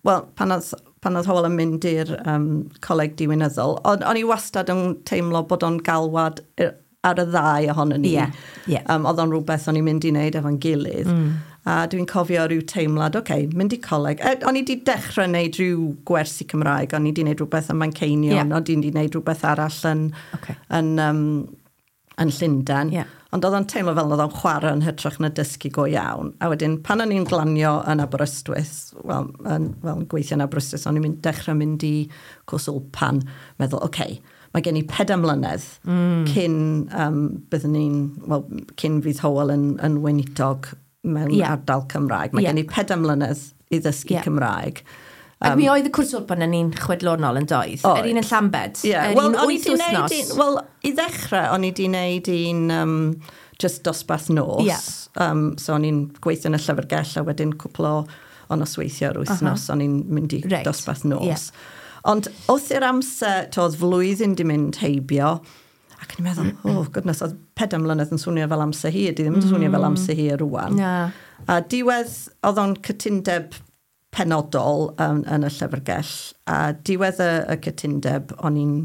Wel, pan oedd Howell yn mynd i'r coleg diwinyddol, o'n i wastad yn teimlo bod o'n galwad ar y ddau ohonon ni. Ie, ie. Oedd o'n rhywbeth o'n i'n mynd i wneud efo'n gilydd. A dwi'n cofio rhyw teimlad, okay, mynd i coleg. E, o'n i wedi dechrau wneud rhyw gwersi Cymraeg, o'n i wedi wneud rhywbeth yn Manceinion, o'n i wedi wneud rhywbeth arall yn Llundain. Ond oedd o'n teimlo fel oedd o'n chwarae yn hytrach na dysgu go iawn. A wedyn, pan o'n i'n glanio yn Aberystwyth, wel, yn gweithio yn Aberystwyth, o'n i'n dechrau mynd i cwrs Wlpan, meddwl, okay, mae gen i 4 mlynedd cyn byddwn ni'n, wel, cyn fydd Howell yn weinidog mewn ardal Cymraeg. Mae gen i 4 mlynedd i ddysgu Cymraeg. Ac mi oedd y cwrs Wlpan yn un chwedlonol yn doedd? Oedd. Yr un yn Llambed? Ie, Yr wel, un o'n i wyth 'di wneud wythnos? wel, i ddechrau, o'n i 'di wneud un just dosbarth nos. So o'n i'n gweithio yn y llyfrgell a wedyn cwpl o nosweithiau yr wythnos, o'n i'n mynd i dosbarth nos. Ond wrth i'r amser, to, oedd flwyddyn di mynd heibio, ac o'n i'n meddwl, oh goodness, oedd 4 mlynedd yn swnio fel amser hir, di ddim yn swnio fel amser hir rwan. Na. A diwedd, oedd o'n cytundeb penodol yn y llyfrgell, a diwedd y cytundeb, o'n i'n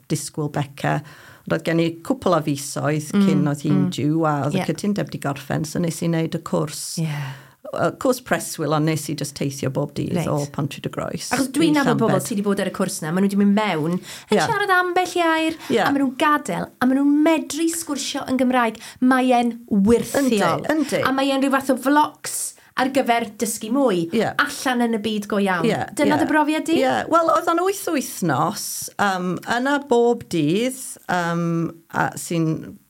disgwyl Beca. Ond oedd gen i cwpl o fisoedd cyn oedd hi'n due, a oedd y cytundeb di gorffen, so nes i wneud y cwrs. Y cwrs preswyl, ond nes i just teithio bob dydd o Pontrhydygroes Achos dwi'n i nabod bobl Llambed. sydd wedi bod ar y cwrs na, maen nhw wedi mynd mewn, yn siarad ambell i air, a maen nhw'n gadael, a maen nhw'n medru sgwrsio yn Gymraeg. Mae e'n wyrthiol. Yndi, yndi. A mae e'n rhyw fath o flocs ar gyfer dysgu mwy, allan yn y byd go iawn. Dyna dy brofiad di? Ie, wel, oedd o'n 8 wythnos, yna bob dydd, a, sy'n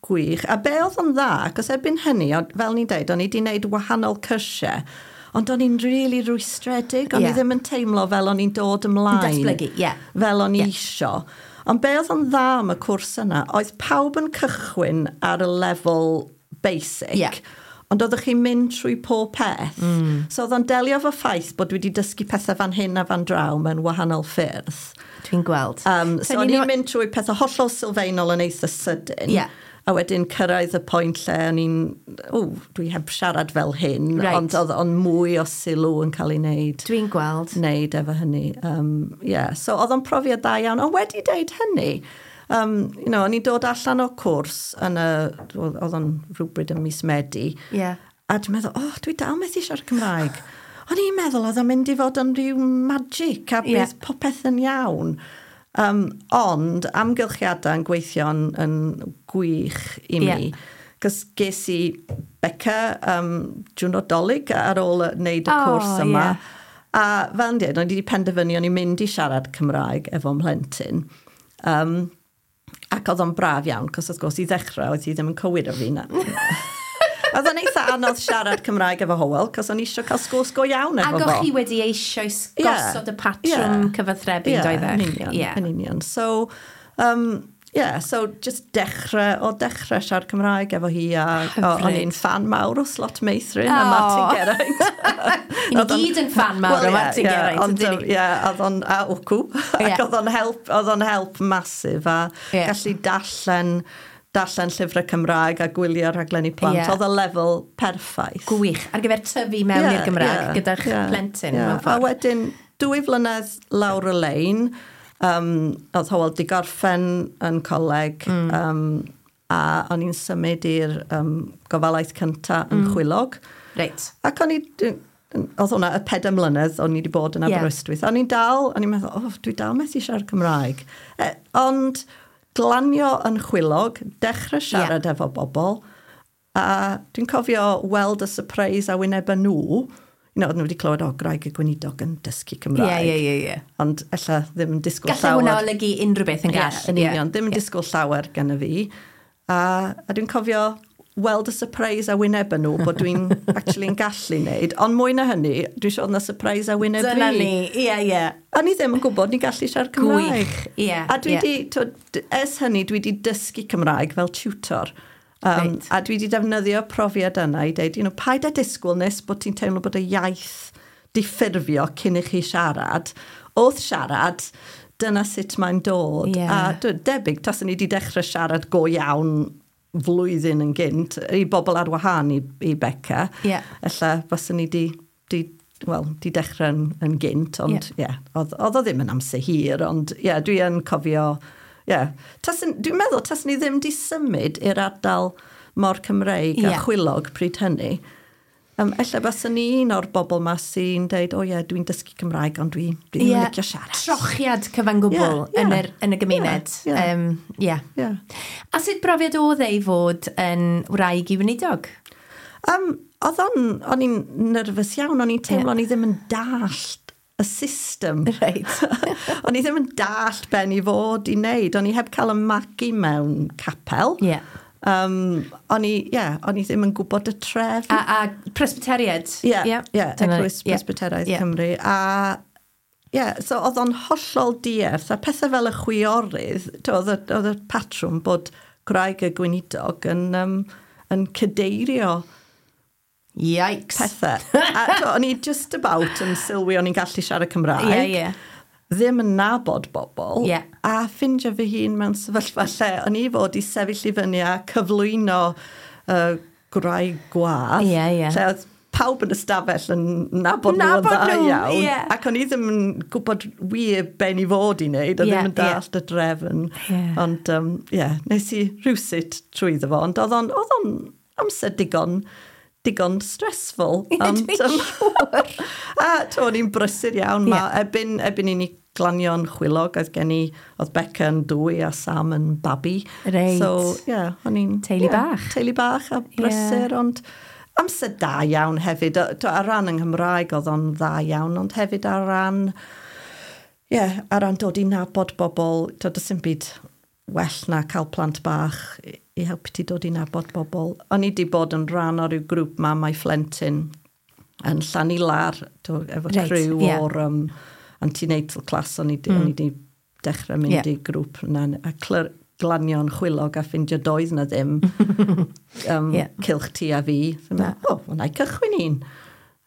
gwych. A be oedd o'n dda, achos erbyn hynny, fel ni'n deud, o'n i wedi gwneud wahanol cyrsiau, ond o'n i'n really rwystredig, o'n i ddim yn teimlo fel o'n i'n dod ymlaen. Datblygu, ie. Fel o'n i isio. Ond be oedd o'n dda am y cwrs yna, oedd pawb yn cychwyn ar y lefel basic. Ond oeddech chi'n mynd trwy pob peth. So oedd o'n delio efo ffaith bod dwi wedi dysgu pethau fan hyn a fan draw mewn wahanol ffyrdd. Dwi'n gweld. So o'n i'n mynd trwy pethau hollol sylfaenol yn eitha sydyn. A wedyn cyrraedd y pwynt lle o'n i'n, o, dwi heb siarad fel hyn, ond oedd o'n mwy o sylw yn cael ei wneud. Dwi'n gweld. Wneud efo hynny. Yeah. So oedd o'n profiad da iawn. Ond wedi deud hynny, o'n i'n dod allan o cwrs yn y, oedd o'n rhywbryd yn mis Medi. A dwi'n meddwl, oh, dwi dal methu siarad Cymraeg. O'n i'n meddwl oedd o'n mynd i fod yn rhyw magic a bydd popeth yn iawn. Ond amgylchiadau yn gweithio yn gwych i mi. Cos ges i Beca diwrnod Dolig ar ôl wneud y cwrs yma. A fel yn dweud, o'n i wedi penderfynu o'n i'n mynd i siarad Cymraeg efo mhlentyn. Ac oedd o'n braf iawn, cos wrth gwrs i ddechrau oedd hi ddim yn cywiro fi na. Oedd o'n eitha anodd siarad Cymraeg efo Hywel, cos o'n i eisiau cael sgwrs go iawn efo Ac fo. o'ch chi wedi eisoes gosod y patrwm cyfathrebu, yeah, doeddech? Yn union, yn union. So, yeah, so just dechrau siarad Cymraeg efo hi a o'n i'n fan mawr o Slot Meithrin a Martin Geraint. Ni gyd yn fan mawr o Martin Geraint, ydyn ni? Ie, oedd o'n, a wcw, ac oedd o'n help massive a gallu darllen llyfrau Cymraeg a gwylio rhaglenni plant. Oedd y lefel perffaith. Gwych. Ar gyfer tyfu mewn i'r Gymraeg gyda'ch plentyn. A wedyn, 2 flynedd lawr y lein, oedd Hywel di gorffen yn coleg, a o'n i'n symud i'r gofalaeth cyntaf yn Chwilog. Ac o'n i, oedd hwnna y 4 mlynedd o'n i wedi bod yn Aberystwyth. O'n i'n dal, o'n i'n meddwl, oh, dwi dal methu siarad Cymraeg. Ond glanio yn Chwilog, dechrau siarad efo bobl, a dwi'n cofio weld y surprise a wyneb nhw, oedden nhw wedi clywed, o, Gwraig y Gweinidog yn dysgu Cymraeg. Ie, ie, ie. Ond ella ddim yn disgwyl llawer. Gallai hwnna olygu unrhyw beth yn gall. Yn union, ddim yn disgwyl llawer gan y fi. A dwi'n cofio weld y surprise a wyneb nhw bod dwi'n actually yn gallu wneud. Ond mwy na hynny, dwi'n siŵr na surprise a wyneb fi. Dyna ni, ie, ie. A ni ddim yn gwybod ni'n gallu siarad Cymraeg. Gwych, ie. A dwi di, ers hynny, dwi di dysgu Cymraeg fel tutor. A dwi di defnyddio profiad yna i dweud, paid â disgwyl nes bod ti'n teimlo bod y iaith di ffurfio cyn i chi siarad. Wrth siarad, dyna sut mae'n dod. A debyg, taswn ni di dechrau siarad go iawn flwyddyn yn gynt, i bobl ar wahân i Beca. Ella baswn ni di dechrau yn gynt, ond oedd o ddim yn amser hir, ond dwi yn cofio. Dwi'n meddwl taswn ni ddim di symud i'r ardal mor Cymreig a Chwilog pryd hynny. Ella baswn ni un o'r bobl ma sy'n deud, o ie, dwi'n dysgu Cymraeg, ond dwi ddim yn licio siarad. Trochiad cyfan gwbl yn y gymuned. A sut brofiad oedd ei fod yn wraig i weinidog? O'n i'n nerfus iawn, o'n i'n teimlo o'n i ddim yn dallt y system. Right. O'n i ddim yn dallt ben i fod i wneud. O'n i heb cael y magu mewn capel. O'n i ddim yn gwybod y trefn. A Presbyteriad? Ie, Eglwys Presbyteraidd Cymru. A so oedd o'n hollol dierth. A pethau fel y chwiorydd, oedd y patrwm bod gwraig y gweinidog yn cadeirio Yikes. Pethau. A o'n i just about yn sylwi o'n i'n gallu siarad Cymraeg. Ie. Ddim yn nabod bobl. A ffindio fy hun mewn sefyllfa lle o'n i fod i sefyll i fyny a cyflwyno gwraig gwadd. Ie. Lle oedd pawb yn y stafell yn nabod nhw yn dda iawn. Ac o'n i ddim yn gwybod wir ben i fod i wneud, a ddim yn dallt y drefn. Ond, nes i rhywsut trwyddo fo. Ond oedd o'n amser digon stressful. Ond, dwi'n siŵr. A o'n i'n brysur iawn. Erbyn i ni glanio'n Chwilog, oedd Beca yn 2 a Sam yn babi. Reit. So, o'n i'n... Teulu bach. Teulu bach a brysur, ond amser da iawn hefyd. Ar ran yng Nghymraeg oedd o'n dda iawn, ond hefyd ar ran, ar ran dod i nabod bobl, does dim byd well na cael plant bach i helpu ti dod i nabod bobl. O'n i di bod yn rhan o'r ryw grŵp mamau phlentyn yn Llanilar, efo criw o'r antenatal class, o'n i di dechrau mynd i grŵp yna, a glanio'n Chwilog a ffindio doedd na ddim cylch ti a fi. O, wna i cychwyn un.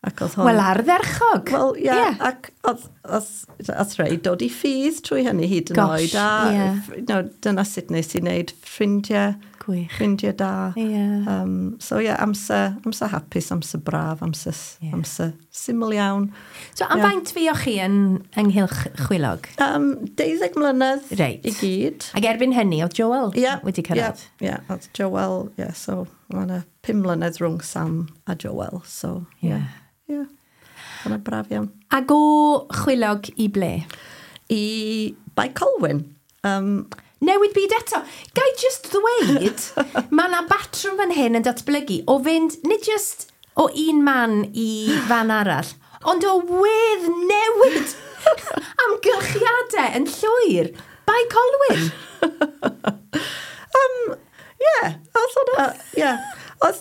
Ac oedd hon... Wel, ardderchog. Wel, ie, ac oedd rhai dod i ffydd trwy hynny hyd yn oed. A dyna sut nes i wneud ffrindiau. Gwych. Ffrindiau da. So, amser hapus, amser braf, amser syml iawn. So, am faint fuoch chi ynghylch Chwilog? 12 mlynedd i gyd. Ac erbyn hynny, oedd Joel wedi cyrraedd? Ie, oedd Joel, so mae yna 5 mlynedd rhwng Sam a Joel, so ie. Yna braf iawn. Ac o Chwilog i ble? I Bae Colwyn. Newid byd eto. Gai just ddweud, mae yna batrwm fan hyn yn datblygu o fynd, nid just o un man i fan arall, Ond o wedd newid amgylchiadau yn llwyr. Bae Colwyn. Ie, oedd hwnna, ie. Oedd,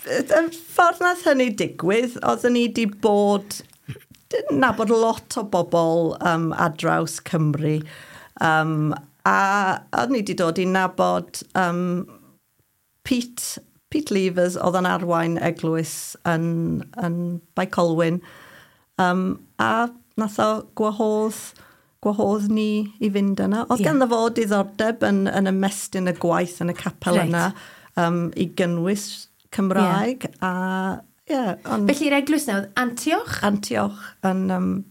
y ffordd nath hynny digwydd, oeddwn ni wedi bod, nabod lot o bobl ar draws Cymru, a oeddwn ni wedi dod i nabod Pete Levers oedd yn arwain eglwys yn Bae Colwyn, a nath o gwahodd ni i fynd yna. Oedd ganddo fo diddordeb yn ymestyn y gwaith yn y capel yna i gynnwys Cymraeg. A, yeah, ond Felly'r eglwys na oedd Antioch? Antioch yn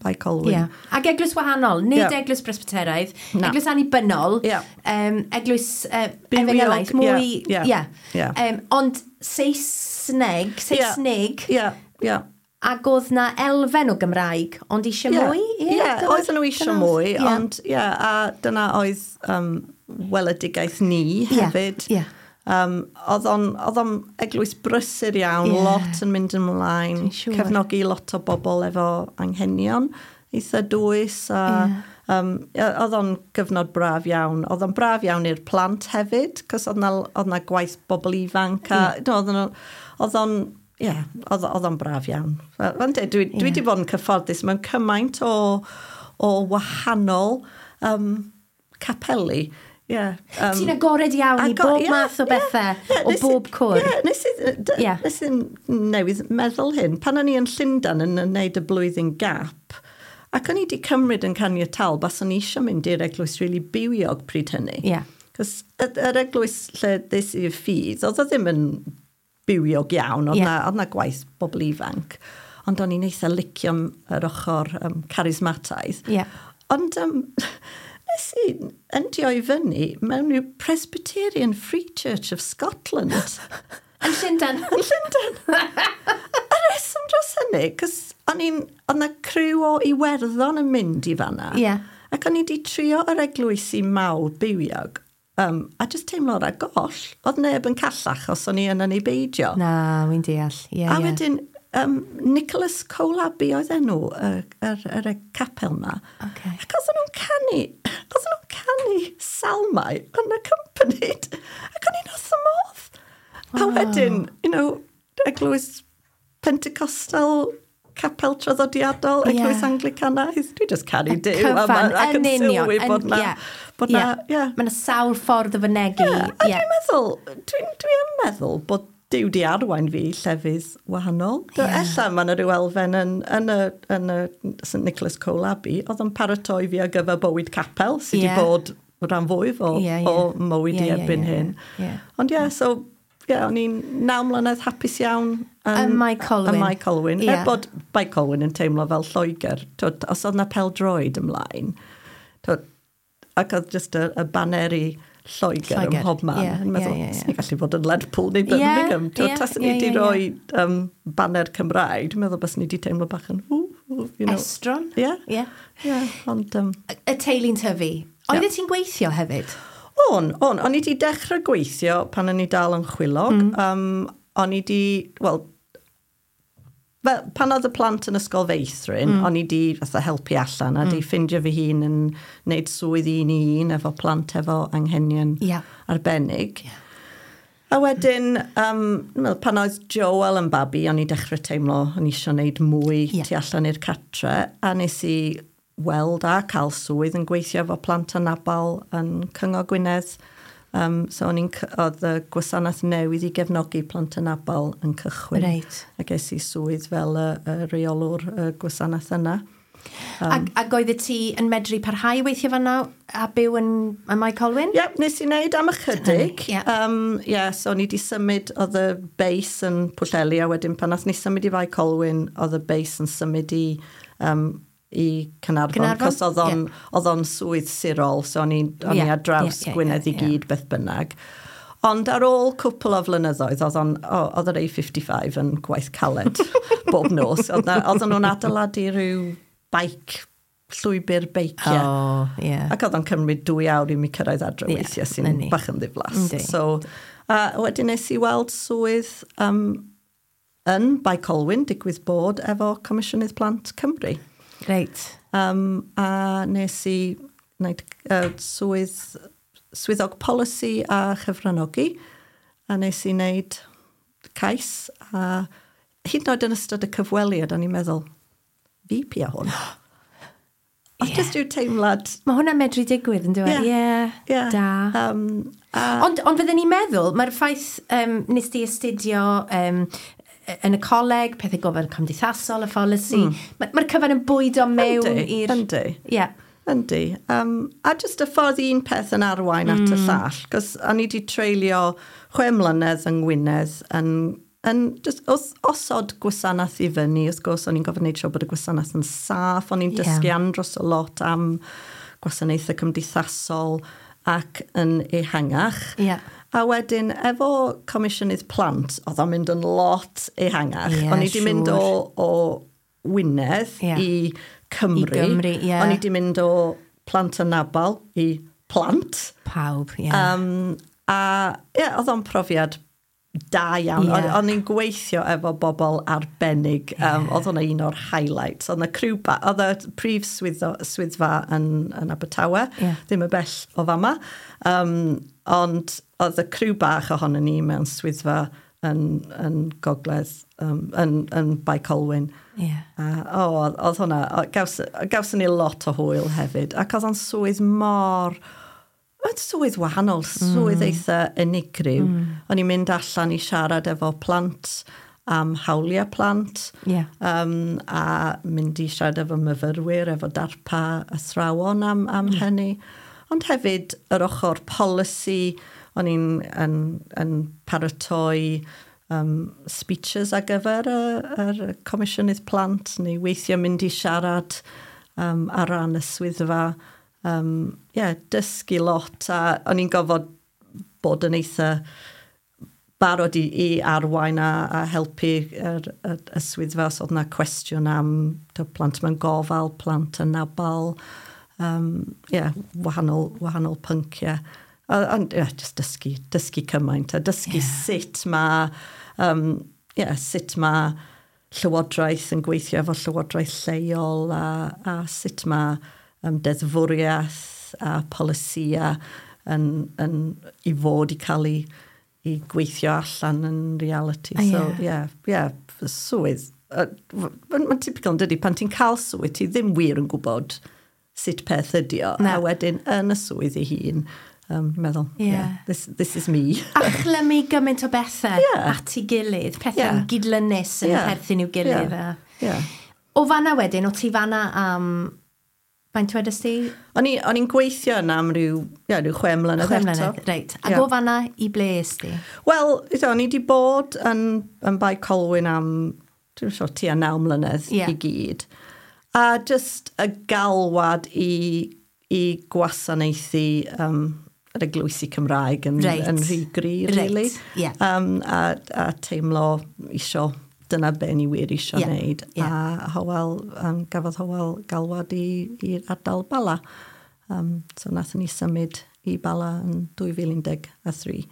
Bae Colwyn. Yeah. Ac eglwys wahanol, nid eglwys Presbyteraidd, eglwys annibynnol, eglwys efengylaidd, mwy. Ond Saesneg. Ac oedd na elfen o Gymraeg, ond eisiau mwy? Ie, oedden nhw eisiau mwy, ond ie, a dyna oedd weledigaeth ni hefyd. Oedd o'n eglwys brysur iawn, lot yn mynd ymlaen, cefnogi lot o bobl efo anghenion, eitha dwys, a oedd o'n gyfnod braf iawn. Oedd o'n braf iawn i'r plant hefyd, cos oedd na gwaith bobl ifanc, a oedd o'n Ie, oedd o'n braf iawn. Dwi wedi bod yn cyfforddus mewn cymaint o wahanol capeli. Yeah, Ti'n agored iawn i bob math o bethau, o bob cwr. Ie, nes i newydd meddwl hyn. Pan o'n i yn Llundain yn gwneud y blwyddyn gap, ac o'n i wedi cymryd yn caniataol, baswn i eisiau mynd i'r eglwys really bywiog pryd hynny. Yeah. Cos yr eglwys lle des i'r ffydd, oedd o ddim yn bywiog iawn, oedd na gwaith bobl ifanc, ond o'n i'n eitha licio yr ochr charismataidd. Yeah. Ond nes i endio i fyny mewn i'w Presbyterian Free Church of Scotland. Yn Llundain? Yn Llundain. A reswm dros hynny, cos oedd na criw o Iwerddon yn mynd i fanna. Yeah. Ac o'n i wedi trio yr eglwysi mawr bywiog, a just teimlo ar goll, oedd neb yn callach os o'n i yna neu beidio. Na, wy'n deall. Yeah, a wedyn, Nicholas Colabi oedd enw yr capel ma. Okay. Ac oedden nhw'n canu salmau unaccompanied. Ac o'n i'n wrth y modd. A wedyn, you know, eglwys Pentecostal, capel traddodiadol, eglwys Anglicanaidd. Dwi just caru Duw. Cyfan, yn union. Sylwi bod na... Mae yna sawl ffordd o fynegi. A dwi'n meddwl, dwi'n meddwl bod Duw di arwain fi llefydd wahanol. Ella mae yna rhyw elfen yn y St Nicholas Colabi, oedd yn paratoi fi ar gyfer bywyd capel, sydd wedi bod rhan fwyaf o mywyd i erbyn hyn. Ond so... Ie, o'n i'n 9 mlynedd hapus iawn. Ym Mae Colwyn. Ym Mae Colwyn. Er bod Bae Colwyn yn teimlo fel Lloegr. Os oedd na pêl-droed ymlaen, ac oedd just y baneri Lloegr ym mhob man. Yn meddwl, swn i'n gallu bod yn Lerpwl neu Birmingham. Taswn ni wedi rhoi baner Cymraeg, dwi'n meddwl byswn ni wedi teimlo bach yn... Estron. Ie. Ond... Y teulu'n tyfu. Oeddet ti'n gweithio hefyd? O'n. O'n i wedi dechrau gweithio pan o'n i dal yn chwilog. O'n i wedi, wel, pan oedd y plant yn ysgol feithrin, o'n i wedi fatha helpu allan a di ffindio fy hun yn wneud swydd un i un efo plant efo anghenion arbennig. Yeah. A wedyn, pan oedd Joel yn babi, o'n i dechrau teimlo o'n i eisiau gwneud mwy tu allan i'r catre, a nes i weld a cael swydd yn gweithio efo plant anabal yn Cyngor Gwynedd. So oedd y gwasanaeth newydd i gefnogi plant anabal yn cychwyn. Right. A ges i swydd fel y rheolwr y gwasanaeth yna. Ac oeddet ti yn medru parhau weithio fan'na a byw yn Mae Colwyn? Ie, nes i wneud am ychydig. So o'n i wedi symud, oedd y base yn Pwllheli, a wedyn pan nath ni symud i Fae Colwyn, oedd y base yn symud i Caernarfon, cos oedd o'n swydd sirol, so o'n i ar draws Gwynedd i gyd beth bynnag. Ond ar ôl cwpl o flynyddoedd, oedd yr A55 yn gwaith caled bob nos. Oedden nhw'n adeiladu rhyw bike, llwybr beiciau. Oh, yeah. Ac oedd o'n cymryd 2 awr i mi cyrraedd adre weithiau sy'n bach yn ddiflas. So, wedyn nes i weld swydd yn Bae Colwyn, digwydd bod efo Comisiynydd Plant Cymru. Reit. A nes i wneud swyddog polisi a chyfranogi, a nes i wneud cais, a hyd yn oed yn ystod y cyfweliad, o'n i'n meddwl, fi pia hwn. Oedd just rhyw teimlad. Mae hwnna'n medru digwydd, yn dweud? Ie, yeah. Da. Ond fydden ni'n meddwl, mae'r ffaith nes di astudio yn y coleg, pethau gofal cymdeithasol, y pholisi, mae'r cyfan yn bwydo mewn i'r. Yndi. Yndi. A just y ffordd un peth yn arwain at y llall, cos o'n i wedi treulio 6 mlynedd yng Ngwynedd yn just osod gwasanaeth i fyny. Wrth gwrs, o'n i'n gofyn wneud siŵr bod y gwasanaeth yn saff, o'n i'n dysgu andros o lot am gwasanaethau cymdeithasol ac yn ehangach. A wedyn, efo Comisiynydd Plant, oedd o'n mynd yn lot ehangach. O'n i wedi mynd o Wynedd i Cymru. I Gymru, ie. O'n i wedi mynd o plant anabal i plant. Pawb, ie. A ie, oedd o'n profiad da iawn. O'n i'n gweithio efo bobl arbennig. Oedd hwnna un o'r highlights. Oedd oedd y prif swyddfa yn Abertawe, ddim y bell o fama. Ond oedd y criw bach ohono ni mewn swyddfa yn gogledd, yn Bae Colwyn. Oedd hwnna, gawson ni lot o hwyl hefyd. Ac oedd o'n swydd mor. Mae'n swydd wahanol, swydd eitha unigryw. O'n i'n mynd allan i siarad efo plant am hawliau plant. A mynd i siarad efo myfyrwyr, efo darpa athrawon am hynny. Ond hefyd yr ochr polisi, o'n i'n yn paratoi speeches ar gyfer yr Comisiynydd Plant, neu weithio mynd i siarad ar ran y swyddfa. Yeah, dysgu lot, a o'n i'n gofod bod yn eitha barod i arwain a helpu y swyddfa os oedd yna cwestiwn am plant mewn gofal, plant anabal, yeah, wahanol pynciau. Ond yeah, just dysgu cymaint a dysgu sut mae llywodraeth yn gweithio efo llywodraeth lleol a sut mae deddfwriaeth a polisia yn i fod i cael ei gweithio allan yn reality. So, yeah, swydd. Mae'n typical yn dydy, pan ti'n cael swydd, ti ddim wir yn gwybod sut peth ydi o. A wedyn, yn y swydd ei hun, meddwl, yeah, this is me. A chlymu gymaint o bethau at ei gilydd, pethau gydlynus yn perthyn i'w gilydd. O fanna wedyn, o ti fanna am. Faint wedys ti? O'n i'n gweithio yna am ryw 6 mlynedd 6 mlynedd, reit. Ac o fanna i ble es di? Wel, o'n i wedi bod yn Bae Colwyn am, dwi'n siŵr, tua 9 mlynedd i gyd. A just y galwad i gwasanaethu yr eglwysi Cymraeg yn rhy gry, really. A teimlo isio, dyna be ni wir isio wneud. A Hywel, gafodd Hywel galwad i'r ardal Bala. So nathon ni symud i Bala yn 2013.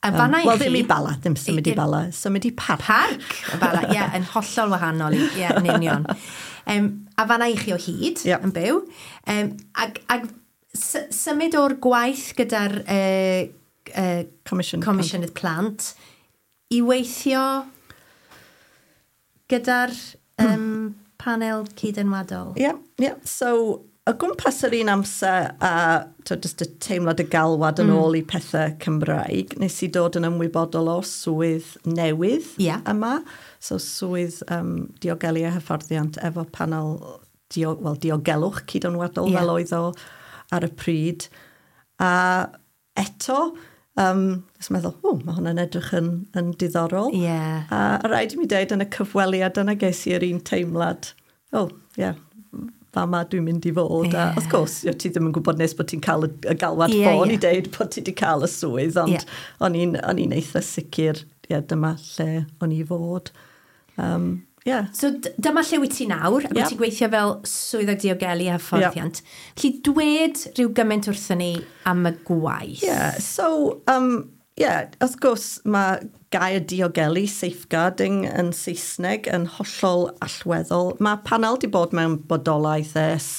A fanna i Wel, ddim i Bala, ddim symud i Bala, symud i Parc. Parc y Bala, ie, yn hollol wahanol, ie, yn union. A fanna i chi o hyd yn byw. Ag symud o'r gwaith gyda'r Comisiynydd Plant i weithio gyda'r panel cydenwadol. Ie, yeah, yeah. So, o gwmpas yr un amser a just y teimlad y galwad yn ôl i pethau Cymraeg, nes i dod yn ymwybodol o swydd newydd yma. So, swydd diogelu a hyfforddiant efo panel diogelwch cydonwadol fel oedd o ar y pryd. A eto, nes meddwl, mae hwnna'n edrych yn diddorol. A rhaid i mi dweud yn y cyfweliad yna ges i yr un teimlad, fama dwi'n mynd i fod. A wrth gwrs, ti ddim yn gwybod nes bod ti'n cael y galwad ffôn i deud bod ti wedi cael y swydd, ond o'n i'n eitha sicr, dyma lle o'n i fod. So dyma lle wyt ti nawr, a ti'n gweithio fel swyddog diogelu a hyfforddiant. Felly dwed rhyw gymaint wrthyn ni am y gwaith. Yeah, so, yeah, wrth gwrs, mae gair diogelu, safeguarding yn Saesneg yn hollol allweddol. Mae panel di bod mewn bodolaeth ers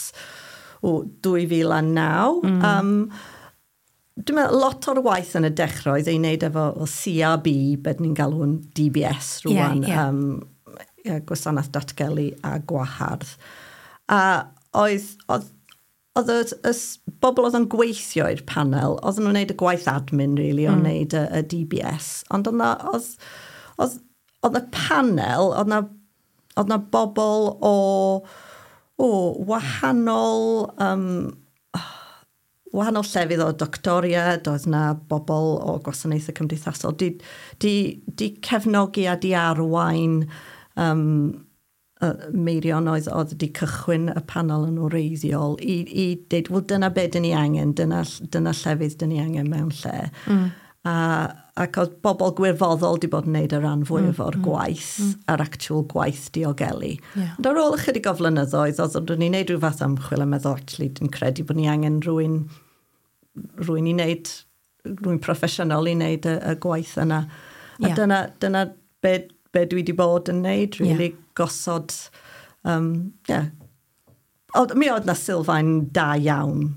2009. Dwi'n meddwl lot o'r waith yn y dechrau oedd ei wneud efo CRB, beth ni'n galw'n DBS rwan, Gwasanaeth Datgelu a Gwahardd. A oedd y bobl oedd yn gweithio i'r panel, oedd nhw'n gwneud y gwaith admin, really, o'n wneud y DBS. Ond oedd y panel, oedd na bobl o wahanol llefydd o doctoriad, oedd na bobl o gwasanaethau cymdeithasol, di cefnogi a di arwain Meirion oedd di cychwyn y panel yn wreiddiol i dweud, wel dyna be dyn ni angen, dyna llefydd dyn ni angen mewn lle. Ac oedd bobl gwirfoddol di bod yn neud y rhan fwyaf o'r gwaith, yr actual gwaith diogelu. Ond ar ôl ychydig o flynyddoedd, oedd ni'n neud rhyw fath ymchwil a meddwl, actually, dwi'n credu bod ni angen rhywun i wneud, rhywun proffesiynol i wneud y gwaith yna. A dyna be dwi wedi bod yn neud, really, gosod, yeah. Mi oedd na sylfaen da iawn,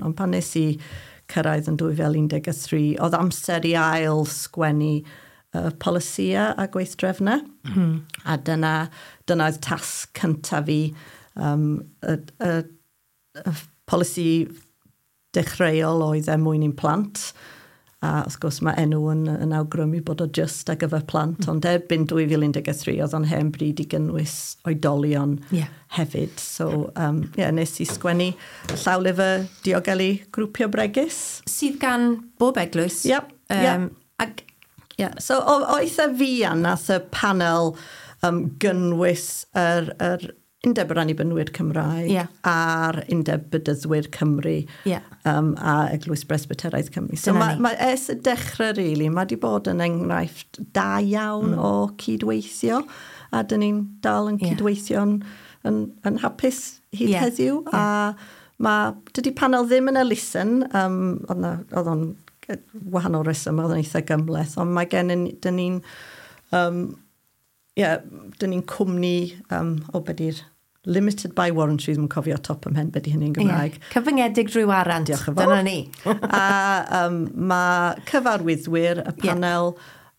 ond pan nes i cyrraedd yn 2013, oedd amser i ail sgwennu polisïau a gweithdrefnau. A dyna oedd tasg cyntaf fi, y polisi dechreuol oedd er mwyn i'n plant. A wrth gwrs mae enw yn awgrymu bod o just ar gyfer plant, ond erbyn 2013 oedd o'n hen bryd i gynnwys oedolion hefyd. So, nes i sgwennu llawlyfr diogelu grwpio bregus. Sydd gan bob eglwys. Yep. So, o eitha fuan nath y panel gynnwys yr Undeb yr Annibynwyr Cymraeg a'r Undeb Bedyddwyr Cymru a Eglwys Bresbyteraidd Cymru. So mae ers y dechrau, really, mae wedi bod yn enghraifft da iawn o cydweithio, a dyn ni'n dal yn cydweithio'n yn hapus hyd heddiw. A dydy panel ddim yn elusen, oedd o'n wahanol reswm, oedd o'n eitha gymhleth, ond mae gen dyn ni'n dyn ni'n cwmni o beth yw'r limited by warranty, ddim yn cofio top ym mhen beth i hynny'n Gymraeg. Cyfyngedig drwy warant. Diolch yn fawr. Dyna ni. A mae cyfarwyddwyr y panel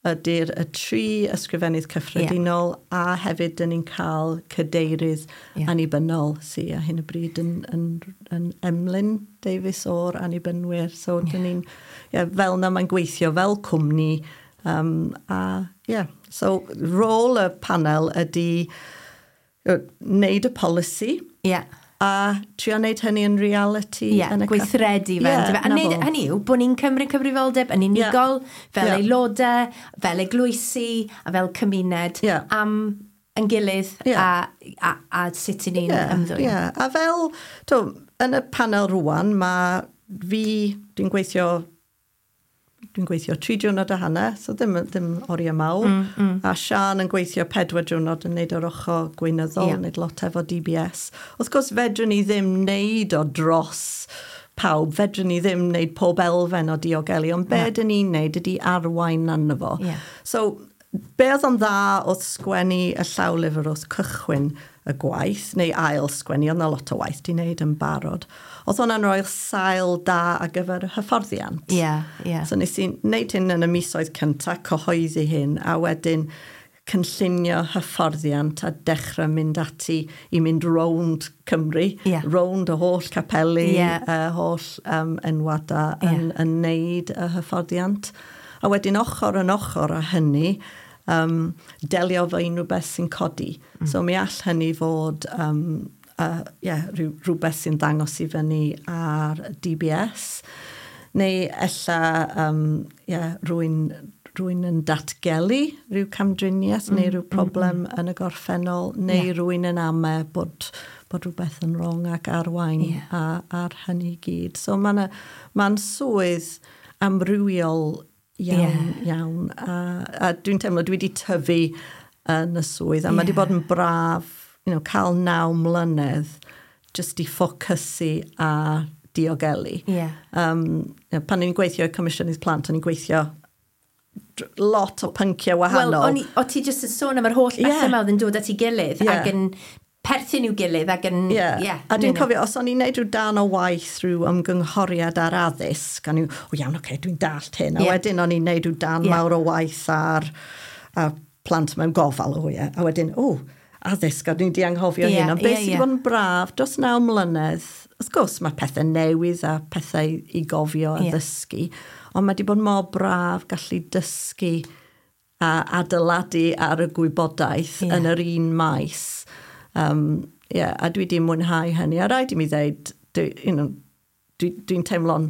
ydy'r y tri ysgrifennydd cyffredinol a hefyd dyn ni'n cael cadeirydd annibynnol sydd ar hyn o bryd yn Emlyn Davies o'r Annibynwyr. So dyn ni'n, fel na mae'n gweithio fel cwmni. So rôl y panel ydy wneud y polisi a trio wneud hynny yn reality. Yn y gweithredu fe. A wneud hynny yw bod ni'n cymryd cyfrifoldeb yn unigol, fel aelodau, fel eglwysi, a fel cymuned am yn gilydd a sut i ni'n ymddwyn. A fel, yn y panel rwan, mae fi, dwi'n gweithio 3 diwrnod a hanner, so ddim oriau mawr. A Sian yn gweithio 4 diwrnod yn neud o'r ochr gweinyddol, neud lot efo DBS. Wrth gwrs, fedrwn ni ddim neud o dros pawb, fedrwn ni ddim neud pob elfen o diogelu, ond be dyn ni'n neud ydy arwain arno fo. So, be oedd o'n dda wrth sgwennu y llawlyfr wrth cychwyn y gwaith, neu ail sgwennu, oedd 'na lot o waith di wneud yn barod. Oedd hwnna'n rhoi'r sail da ar gyfer hyfforddiant. So nes i wneud hyn yn y misoedd cyntaf, cyhoeddi hyn, a wedyn cynllunio hyfforddiant a dechrau mynd ati i mynd rownd Cymru, rownd y holl capeli, y holl enwadau yn wneud y hyfforddiant. A wedyn ochr yn ochr â hynny, delio efo unrhyw beth sy'n codi. So mi all hynny fod rhywbeth sy'n dangos i fyny ar DBS, neu ella rhywun yn datgelu rhyw camdriniaeth neu rhyw problem yn y gorffennol, neu rhywun yn ame bod rhywbeth yn wrong ac arwain ar hynny gyd. So mae'n swydd amrywiol iawn. A dwi'n teimlo dwi wedi tyfu yn y swydd, a mae wedi bod yn braf, cael 9 mlynedd jyst i ffocysu ar diogelu. Pan o'n i'n gweithio i Comisiynydd Plant, o'n i'n gweithio lot o pynciau wahanol. Wel, o ti jyst yn sôn am yr holl bethau yma oedd yn dod at ei gilydd ac yn perthyn i'w gilydd ac yn... Yeah. A dwi'n cofio, os o'n i'n neud rhyw dan o waith rhyw ymgynghoriad ar addysg, o'n i'n, o iawn, oce, dwi'n dallt hyn. A wedyn o'n i'n neud rhyw dan mawr o waith ar a plant mewn gofal, o ie. A wedyn, o, addysg, a dwi'n di anghofio hyn. Ond beth sydd wedi bod yn braf dros 9 mlynedd, wrth gwrs, mae pethau newydd a pethau i gofio a ddysgu, ond mae wedi bod mor braf gallu dysgu a adeiladu ar y gwybodaeth yn yr un maes. A dwi wedi mwynhau hynny. A rhaid i mi ddeud, dwi'n teimlo'n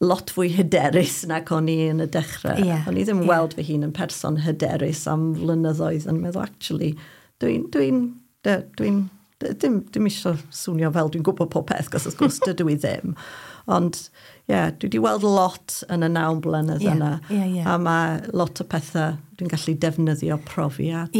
lot fwy hyderus nag o'n i yn y dechrau. O'n i ddim weld fy hun yn person hyderus am flynyddoedd yn meddwl, actually, dwi'n dim eisiau swnio fel dwi'n gwybod pob peth, cos wrth gwrs dydw i ddim. Ond, dwi wedi weld lot yn y 9 blynedd yna. A mae lot o pethau dwi'n gallu defnyddio profiad.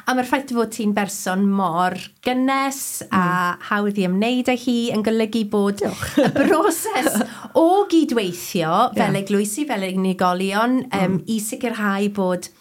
A mae'r ffaith fod ti'n berson mor gynnes a hawdd i ymwneud â hi yn golygu bod y broses o gydweithio fel eglwysi, fel unigolion, i sicrhau bod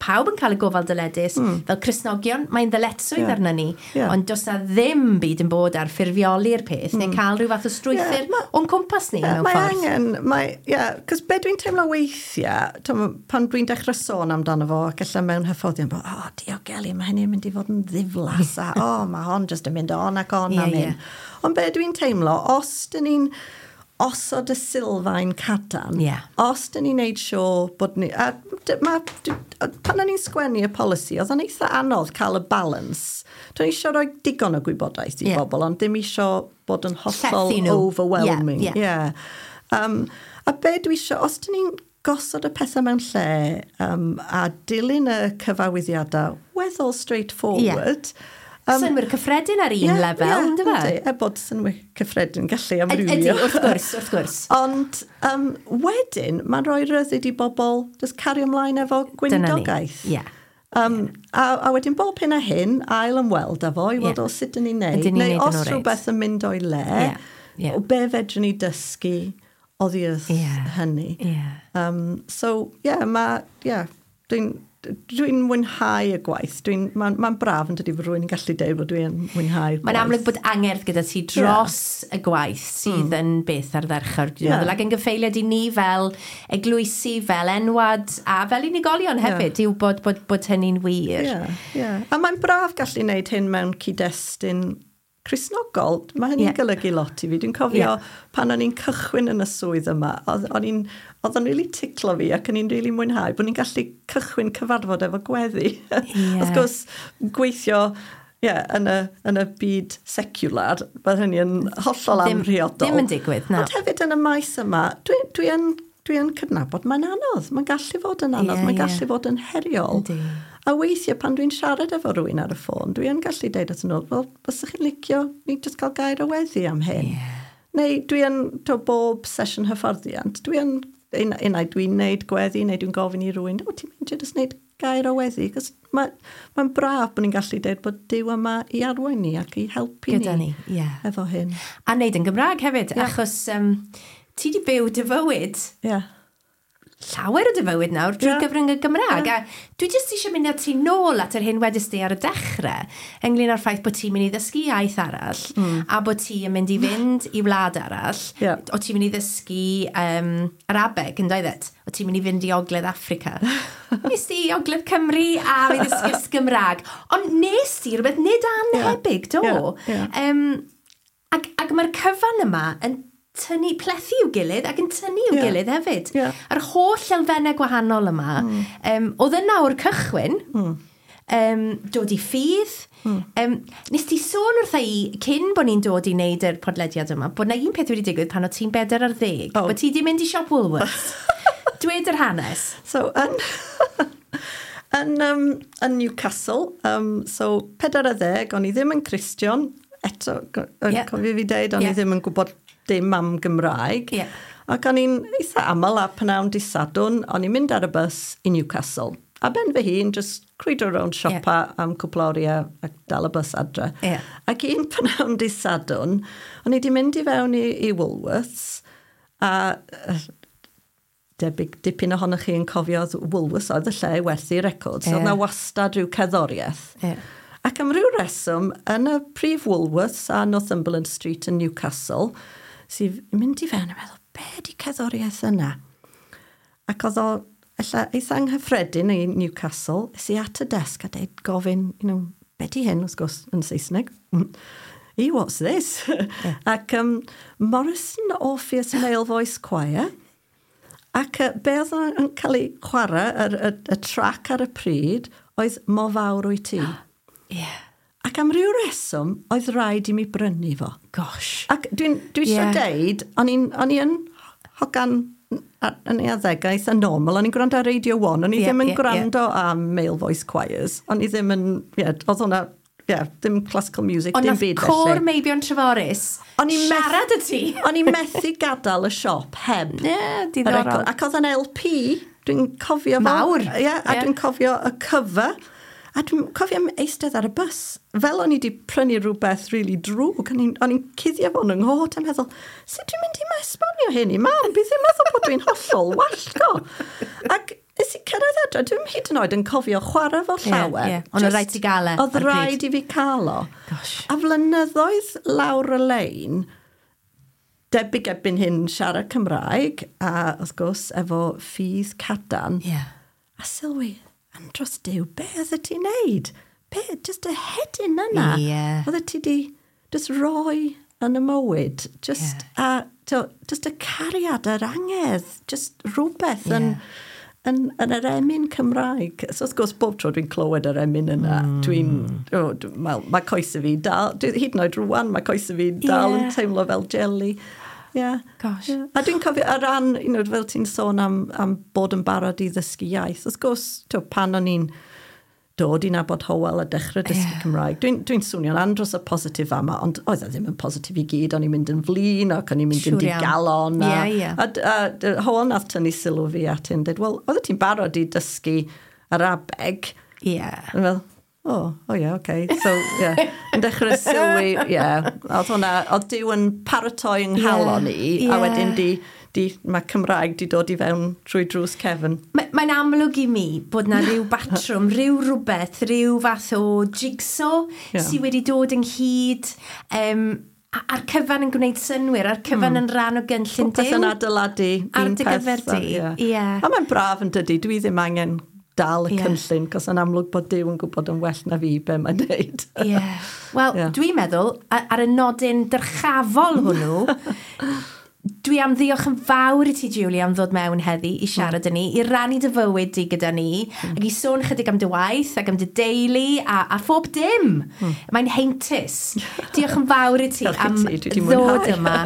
pawb yn cael y gofal dyledus, fel Cristnogion, mae'n ddyletswydd arno ni, ond does na ddim byd yn bod ar ffurfioli'r peth, neu cael rhyw fath o strwythur o'n cwmpas ni mewn ffordd. Mae angen, cos be dwi'n teimlo weithiau, pan dwi'n dechrau sôn amdano fo, ac ella mewn hyfforddiant, bod, o, diogelu, mae hynny'n mynd i fod yn ddiflas, a o, mae hon jyst yn mynd on ac on am hyn. Ond be dwi'n teimlo, os dyn ni'n osod y sylfaen cadarn, os dyn ni'n neud siŵr bod ni... A pan o'n i'n sgwennu y polisi, oedd o'n eitha anodd cael y balance. Dwi'n eisiau rhoi digon o gwybodaeth i bobl, ond dim eisiau bod yn hollol overwhelming. A be dwi eisiau, os dyn ni'n gosod y pethau mewn lle a dilyn y cyfarwyddiadau weddol straightforward... Synnwyr cyffredin ar un lefel, ynddo fe? Er bod synnwyr cyffredin gallu amrywio. Ydy, wrth gwrs, wrth gwrs. Ond wedyn, mae'n rhoi rhyddid i bobl just cario ymlaen efo gweinidogaeth. A wedyn bob hyn a hyn, ail ymweld â fo i weld o sut dyn ni'n neud. Neu os rhywbeth yn mynd o'i le, o be fedrwn ni dysgu oddi wrth hynny. So, dwi'n mwynhau y gwaith. Mae'n braf yn dydi fod rhywun yn gallu deud bod dwi'n mwynhau'r gwaith. Mae'n amlwg bod angerdd gyda ti dros y gwaith sydd yn beth ardderchog. Dwi'n meddwl, ac yn gyffeiliad i ni fel eglwysi, fel enwad a fel unigolion hefyd, yw bod hynny'n wir. A mae'n braf gallu wneud hyn mewn cyd-destun Cristnogol. Mae hynny'n golygu lot i fi. Dwi'n cofio pan o'n i'n cychwyn yn y swydd yma, oedd o'n really ticlo fi ac o'n i'n really mwynhau bod ni'n gallu cychwyn cyfarfod efo gweddi. Wrth gwrs, gweithio yn y byd secular, bydd hynny yn hollol amhriodol. Ddim yn digwydd, na. Ond hefyd yn y maes yma, dwi yn cydnabod mae'n anodd. Mae'n gallu fod yn anodd, mae'n gallu fod yn heriol. Yndi. A weithiau pan dwi'n siarad efo rhywun ar y ffôn, dwi yn gallu deud at nhw, wel, bysach chi'n licio ni jyst cael gair o weddi am hyn. Neu dwi yn, bob sesiwn hyfforddiant, dwi yn, unai dwi'n neud gweddi, neu dwi'n gofyn i rhywun, o, ti'n mynd jyst neud gair o weddi? Cos mae'n braf bod ni'n gallu deud bod Duw yma i arwain ni ac i helpu gyda ni efo hyn. A neud yn Gymraeg hefyd, achos ti di byw dy fywyd. Llawer o dy fywyd nawr drwy gyfrwng y Gymraeg. A dwi jyst eisiau mynd â ti nôl at yr hyn wedys di ar y dechrau, ynglyn â'r ffaith bod ti'n mynd i ddysgu iaith arall, a bod ti yn mynd i fynd i wlad arall, o ti'n mynd i ddysgu Arabeg, yn doeddet? O ti'n mynd i fynd i Ogledd Affrica. Nes di i Ogledd Cymru a fi ddysgu Gymraeg. Ond nes di rhywbeth nid anhebyg, do? Ac mae'r cyfan yma yn tynnu plethu i'w gilydd ac yn tynnu i'w gilydd hefyd. A'r holl elfennau gwahanol yma, oedd yna o'r cychwyn, dod i ffydd. Nes ti sôn wrtha i, cyn bod ni'n dod i wneud yr podlediad yma, bod na un peth wedi digwydd pan o ti'n 14, bod ti di mynd i siop Woolworths. Dwed yr hanes. So, yn Newcastle, so 14, o'n i ddim yn Cristion, eto, cofio fi deud, o'n i ddim yn gwybod dim am Gymraeg. Ac o'n i'n eitha aml a pnawn dydd Sadwrn, o'n i'n mynd ar y bws i Newcastle. A ben fy hun, just crwydro rownd siopa am cwpl o oriau a dal y bus adre. Ac un pnawn dydd Sadwrn, o'n i wedi mynd i fewn i Woolworths, a debyg dipyn ohonoch chi yn cofio Woolworths oedd y lle i werthu records. Oedd 'na wastad rhyw cerddoriaeth. Ac am ryw reswm, yn y prif Woolworths a Northumberland Street yn Newcastle, sydd yn mynd i fewn a meddwl, be di cerddoriaeth yna? Ac oedd o ella eitha anghyffredin i Newcastle, es i at y desg a deud gofyn, be di hyn, wrth gwrs, yn Saesneg. E, what's this? Ac Morrison Orpheus Male Voice Choir. Ac be oedd yn cael ei chwarae, y track ar y pryd, oedd Mor Fawr Wyt Ti. Ac am ryw reswm, oedd rhaid i mi brynu fo. Gosh. Ac dwi eisiau deud, o'n i yn hogan yn ei arddegau eitha normal, o'n i'n gwrando ar Radio 1, o'n i ddim yn gwrando am male voice choirs, o'n i ddim yn, oedd hwnna, ddim classical music, ond dim nath byd côr felly. Meibion Treforys O'n i'n siarad y ti. O'n i'n methu gadael y siop heb Ie, y diddorol. record. Ac oedd yn LP, dwi'n cofio fo. Mawr. Ie, a dwi'n cofio y cover. A dwi'n cofio am eistedd ar y bus. Fel o'n i wedi prynu rhywbeth really drwg, o'n i'n cuddio fo'n yng nghot a meddwl, sut dwi'n mynd i ma esbonio hyn i mam? Bydd yn meddwl bod dwi'n hollol wallgo. Ac nes i cyrraedd adre, dwi'n hyd yn oed yn cofio chwarae fo llawer. Ie. Ond oedd rhaid ti gael e Oedd ar y pryd. rhaid i fi cael o. Gosh. A flynyddoedd lawr y lein, debyg erbyn hyn siarad Cymraeg, a wrth gwrs efo ffydd cadarn. A sylwi, andros Duw, be oedd ti'n neud? Be, just y hedyn yna. Oedd ti di just roi yn y mywyd. Just, a, to, just y cariad, yr angedd, just rhywbeth yn yr emyn Cymraeg. So wrth gwrs, bob tro dwi'n clywed yr emyn yna, dwi'n, oh, mae coesau fi dal, hyd yn oed rwan, mae coesau fi dal yn teimlo fel jelly. Yeah. Gosh. Yeah. A dwi'n cofio, ar ran, fel ti'n sôn am bod yn barod i ddysgu iaith, wrth gwrs, pan o'n i'n dod i nabod Hywel a dechrau dysgu Cymraeg, dwi'n swnio'n andros o positif yma, ond oedd e ddim yn positif i gyd, o'n i'n mynd yn flin ac o'n i'n mynd yn Siŵr iawn. digalon. A, Ie, ie. A Hywel nath tynnu sylw fi at hyn, dweud, wel, oedd ti'n barod i dysgu Arabeg? A fel, oh yeah, okay. So, yeah, yn dechrau sylwi, yeah. Oedd hwnna, oedd Duw yn paratoi yng nghalon i, a wedyn mae Cymraeg di dod i fewn trwy drws cefn. Mae'n amlwg i mi bod na rhyw batrwm, rhyw rhywbeth, rhyw fath o jigsaw sydd wedi dod ynghyd, a'r cyfan yn gwneud synnwyr, a'r cyfan yn rhan o gynllun Popeth Duw. yn adeiladu Ar un dy peth, gyfer di, ie. A mae'n braf yn dydi, dwi ddim angen dal y cynllun, cos yn amlwg bod Duw yn gwybod yn well na fi be mae'n neud. Ie. Wel, dwi'n meddwl, ar y nodyn dyrchafol hwnnw, dwi am ddiolch yn fawr i ti, Julie, am ddod mewn heddi i siarad â ni, i rannu dy fywyd di gyda ni, ac i sôn chydig am dy waith ac am dy deulu a phob dim. Mae'n heintus. Diolch yn fawr i ti Diolch i am ti, dwi 'di ddod mwynhau. yma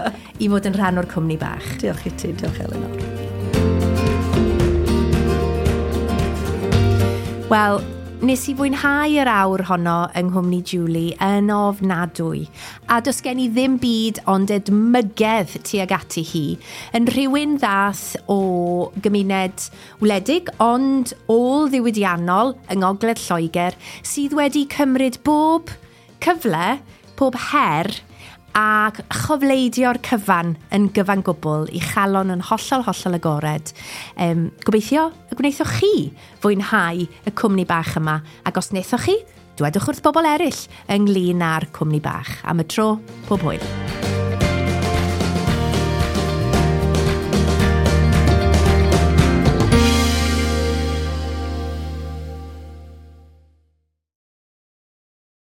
i fod yn rhan o'r cwmni bach. Diolch i ti, diolch Elinor. Wel, nes i fwynhau yr awr honno yng nghwmni Julie yn ofnadwy, a does gen i ddim byd ond edmygedd tuag ati hi, yn rhywun ddath o gymuned wledig ond ôl-ddiwydiannol yng Ngogledd Lloegr sydd wedi cymryd bob cyfle, pob her ac chofleidio'r cyfan yn gyfan gwbl i chalon yn hollol, hollol agored. Gobeithio y gwnaethoch chi fwynhau y cwmni bach yma, ac os wnaethoch chi, dwedwch wrth bobl eraill ynglyn â'r cwmni bach. Am y tro, pob hwyl.